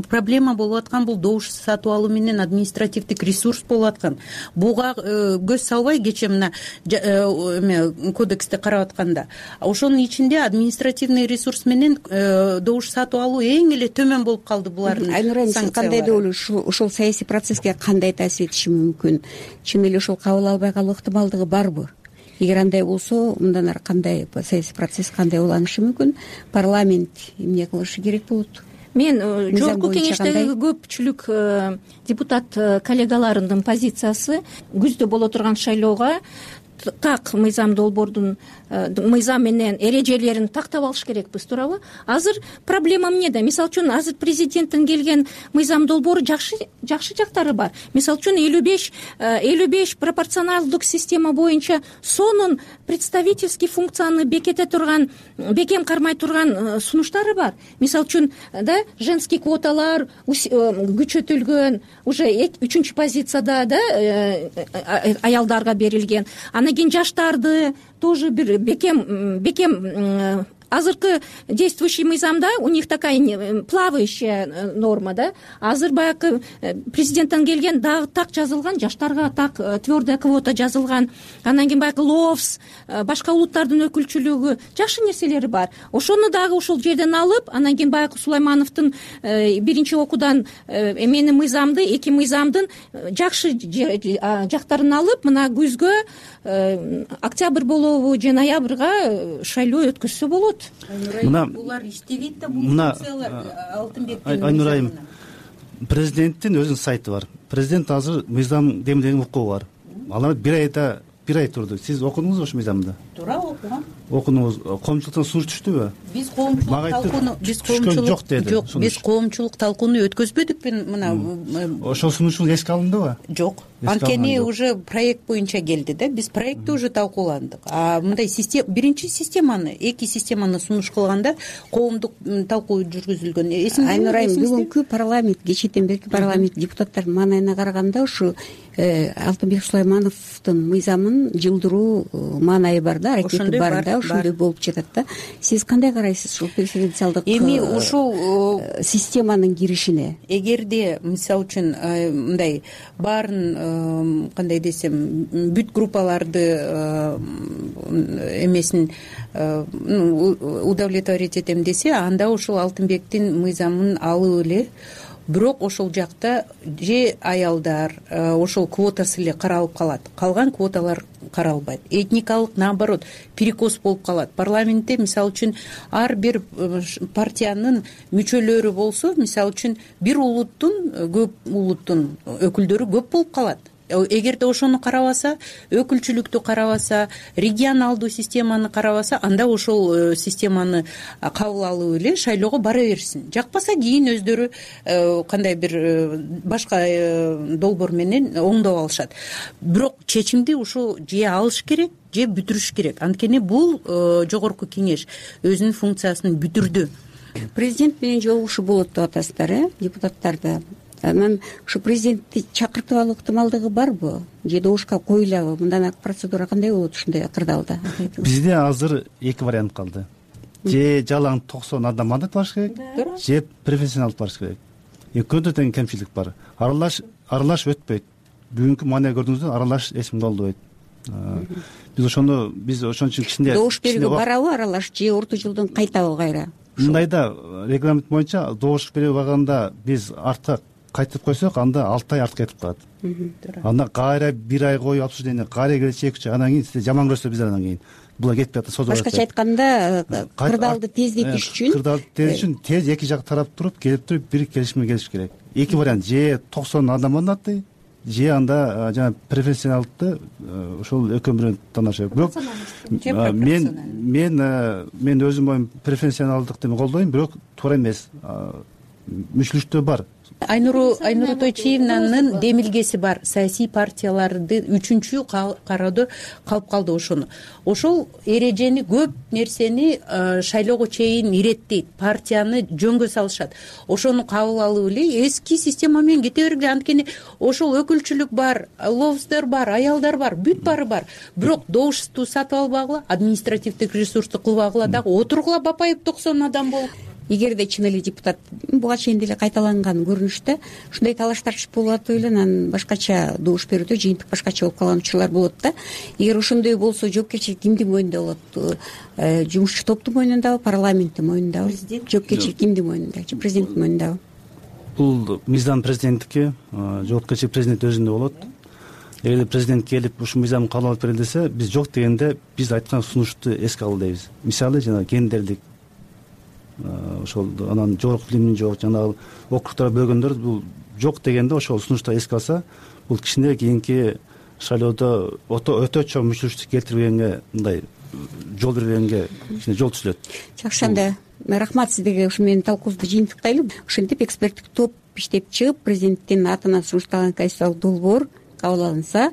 Проблема болуп аткан бул добуш сатып алуу менен административдик ресурс болуп аткан. Буга көз салбай кечээ мына эме кодексте карап атканда ошонун ичинде административный ресурс менен добуш сатып алуу эң эле төмөн болуп калды булардын. Айнура, сиз кандай деп ойлойсуз? Ошол саясий процесске кандай таасир этиши мүмкүн? Чын эле ошол кабыл албай калуу ыктымалдыгы барбы? Эгер андай болсо, мындан ары кандай саясий процесс кандай уланышы мүмкүн? Парламент эмне кылышы керек болот? Мен жогорку кеңештеги көпчүлүк депутат коллегаларымдын позициясы күздө боло турган шайлоого так мыйзам долбоордун мыйзам менен эрежелерин тактап алыш керекпиз, туурабы? Азыр проблема эмнеде? Мисалы үчүн азыр президенттин келген мыйзам долбоору жакшы жакшы жактары бар. Мисалы үчүн элүү беш элүү беш пропорционалдык система боюнча сонун представительский функцияны бекете турган, бекем кармай турган сунуштары бар. Мисалы үчүн да женский квоталар күчөтүлгөн, уже үчүнчү позицияда да аялдарга берилген. Анан кийин жаштарды тоже бир бекем бекем азыркы действующий мыйзамда у них такая плавающая норма, да. Азыр баягы президенттен келген дагы так жазылган, жаштарга так твердая квота жазылган. Анан кийин баягы лофс, башка улуттардын өкүлчүлүгү, жакшы нерселери бар. Ошону дагы ошол жерден алып, анан кийин баягы Сулаймановдун биринчи окуудан эменин мыйзамды, эки мыйзамдын жакшы жактарын алып, мына күзгө, октябрь болобу же ноябрга шайлоо өткөзсө болот. Мына булар иштебейт да, бул мына Алтынбектин Айнурайым, президенттин өзүнүн сайты бар. Президент азыр мыйзам демилген укугу бар. Алар бир айда бир ай турду. Сиз окудуңузбу ошол мыйзамды? Туура, окугам. Окудуңуз. Коомчулуктан сунуш түштүбү? Биз коомчулук талкууну, биз коомчулук жок деди. Жок, биз коомчулук талкууну өткөзбөдүкпү мына. Ошол сунушуңуз эске алындыбы? Жок. Анткени уже проект боюнча келди да, биз проектти уже талкууландык. А мындай система, биринчи системаны, эки системаны сунуш кылганда коомдук талкуу жүргүзүлгөн. Айнурайым, бүгүнкү парламент, кечээден берки парламент депутаттардын маанайына караганда ушу Алтынбек Сулаймановдун мыйзамын жылдыруу маанайы бар да, аракети бар да, ошондой болуп жатат да. Сиз кандай карайсыз ушул преференциалдык эми ушул системанын киришине? Эгерде мисалы үчүн мындай баарын кандай десем бүт группаларды эмесин удовлетворить этем десе, анда ушул Алтынбектин мыйзамын алып эле, бирок ошол жакта же аялдар ошол квотасы эле каралып калат, калган квоталар каралбайт. Этникалык наоборот перекос болуп калат. Парламентте мисалы үчүн ар бир партиянын мүчөлөрү болсо, мисалы үчүн бир улуттун, көп улуттун өкүлдөрү көп болуп калат. Эгерде ошону карабаса, өкүлчүлүктү карабаса, регионалдуу системаны карабаса, анда ошол системаны кабыл алып эле шайлоого бара берсин. Жакпаса кийин өздөрү кандай бир башка долбоор менен оңдоп алышат. Бирок чечимди ушу же алыш керек, же бүтүрүш керек. Анткени бул жогорку кеңеш өзүнүн функциясын бүтүрдү. Президент менен жолугушуу болот деп атасыздар, э, депутаттарды. Анан ушу президентти чакыртып алуу ыктымалдыгы барбы? Же добушка коюлабы? Мындан ары процедура кандай болот ушундай кырдаалда? Бизде азыр эки вариант калды. Же жалаң токсон адам мандат барыш керек, же профессионал барыш керек. Экөөндө тең кемчилик бар. Аралаш аралаш өтпөйт. Бүгүнкү маанай көрдүңүздөр, аралаш эч кимде болбойт. Биз ошону биз ошон үчүн кичине добуш берүүгө барабы аралаш, же орто жылдан кайтабы кайра? Мындайда регламент боюнча добуш берүү убагында биз артка кайтып койсок, анда алты ай артка кетип калат. Анда кайра бир ай коюп обсуждение, кайра келсе эки үч ай, анан кийин сизде жаман көрсө биздер анан кийин була кетпей атат, созулуп атат. Башкача айтканда, кырдаалды тездетиш үчүн, кырдаалды тездетиш үчүн тез эки жак тарап туруп, келип туруп бир келишимге келиш керек. Эки вариант: же токсон адам мандатты, же анда жана профессионалды ошол экөө бирөө тандаш. Бирок мен мен мен өзүм оюм профессионалдыкты колдойм, бирок туура эмес. мүчүлүштүү бар. айнуру айнуру тойчиевнанын демилгеси бар. Саясий партияларды үчүнчү кароодо калып калды ошону. Ошол эрежени көп нерсени шайлоого чейин иреттейт, партияны жөнгө салышат. Ошону кабыл алып эле эски система менен кете бергиле. Анткени ошол өкүлчүлүк бар, лобстер бар, аялдар бар, бүт баары бар. Бирок добушту сатып албагыла, административдик ресурсту кылбагыла, дагы отургула Бапаев токсон адам болуп. Эгерде чын эле депутат буга чейин деле кайталанган көрүнүштө ушундай талаш тартыш болуп атып эле анан башкача добуш берүүдө жыйынтык башкача болуп калган учурлар болот да. Эгер ошондой болсо жоопкерчилик кимдин мойнунда болот? Жумушчу топтун мойнундабы, парламенттин мойнундабы? Жоопкерчилик кимдин мойнунда? Президенттин мойнундабы? Бул мыйзам президенттики, жоопкерчилик президент өзүндө болот. Эгер президент келип ушул мыйзамды кабыл алып берели десе, биз жок дегенде биз айткан сунушту эске алалы дейбиз. Мисалы жана гендерлик ошол анан жогорку билимин жок жанагы округтарга бөлгөндөр бул жок дегенде ошол сунушту эске алса, бул кичине кийинки шайлоодо өтө чоң мүчүлүштүк келтирбегенге, мындай жол бербегенге кичине жол түзүлөт. Жакшы, анда рахмат сиздерге. Ушу менен талкуубузду жыйынтыктайлы. Ошентип эксперттик топ иштеп чыгып, президенттин атынан сунушталган конституциялык долбоор кабыл алынса,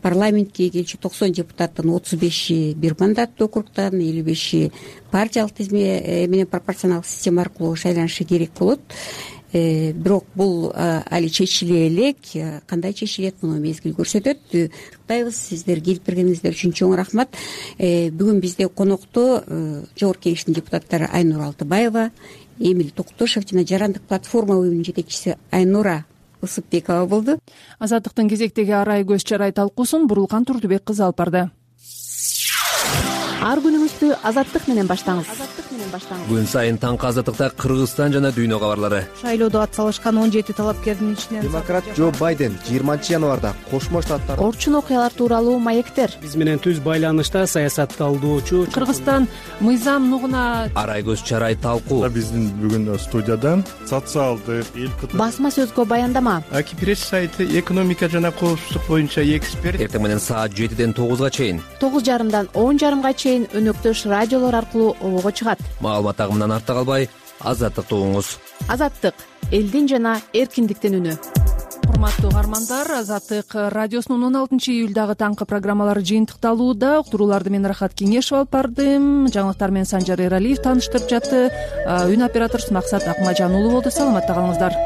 парламентке келчү токсон депутаттын отуз беши бир мандаттуу округтан, элүү беши партиялык тизме менен пропорционалдык система аркылуу шайланышы керек болот. Бирок бул али чечиле элек. Кандай чечилет, муну мезгил көрсөтөт. Куттуктайбыз. Сиздер келип бергениңиздер үчүн чоң рахмат. Бүгүн бизде конокто Жогорку Кеңештин депутаттары Айнура Алтыбаева, Эмиль Токтошев жана Жарандык платформа уюмунун жетекчиси Айнура Ысыкбекова болду. Азаттыктын кезектеги арай көз чарай талкуусун Бурулкан Турдубек кызы алып барды. Ар күнүңүздү Азаттык менен баштаңыз. Күн сайын таңкы Азаттыкта Кыргызстан жана дүйнө кабарлары. Шайлоодо ат салышкан он жети талапкердин ичинен демократ Джо Байден жыйырманчы январда Кошмо Штаттар орчун окуялар тууралуу маектер. Биз менен түз байланышта саясат талдоочу Кыргызстан мыйзам нугуна арай көз чарай талкуу. Биздин бүгүн студияда социалдык басма сөзгө баяндама, Аки пресс сайты экономика жана коопсуздук боюнча эксперт. Эртең менен саат жетиден тогузга чейин, тогуз жарымдан он жарымга чейин өнөктөш радиолор аркылуу обого чыгат. Маалымат агымынан артта калбай, Азаттыкты угуңуз. Азаттык — элдин жана эркиндиктин үнү. Урматтуу угармандар, Азаттык радиосунун он алтынчы июлдагы таңкы программалары жыйынтыкталууда. Уктурууларды мен Рахат Кеңешов алып бардым. Жаңылыктар менен Санжар Эралиев тааныштырып жатты. Үн операторубуз Максат Акмажан уулу болду. Саламатта калыңыздар.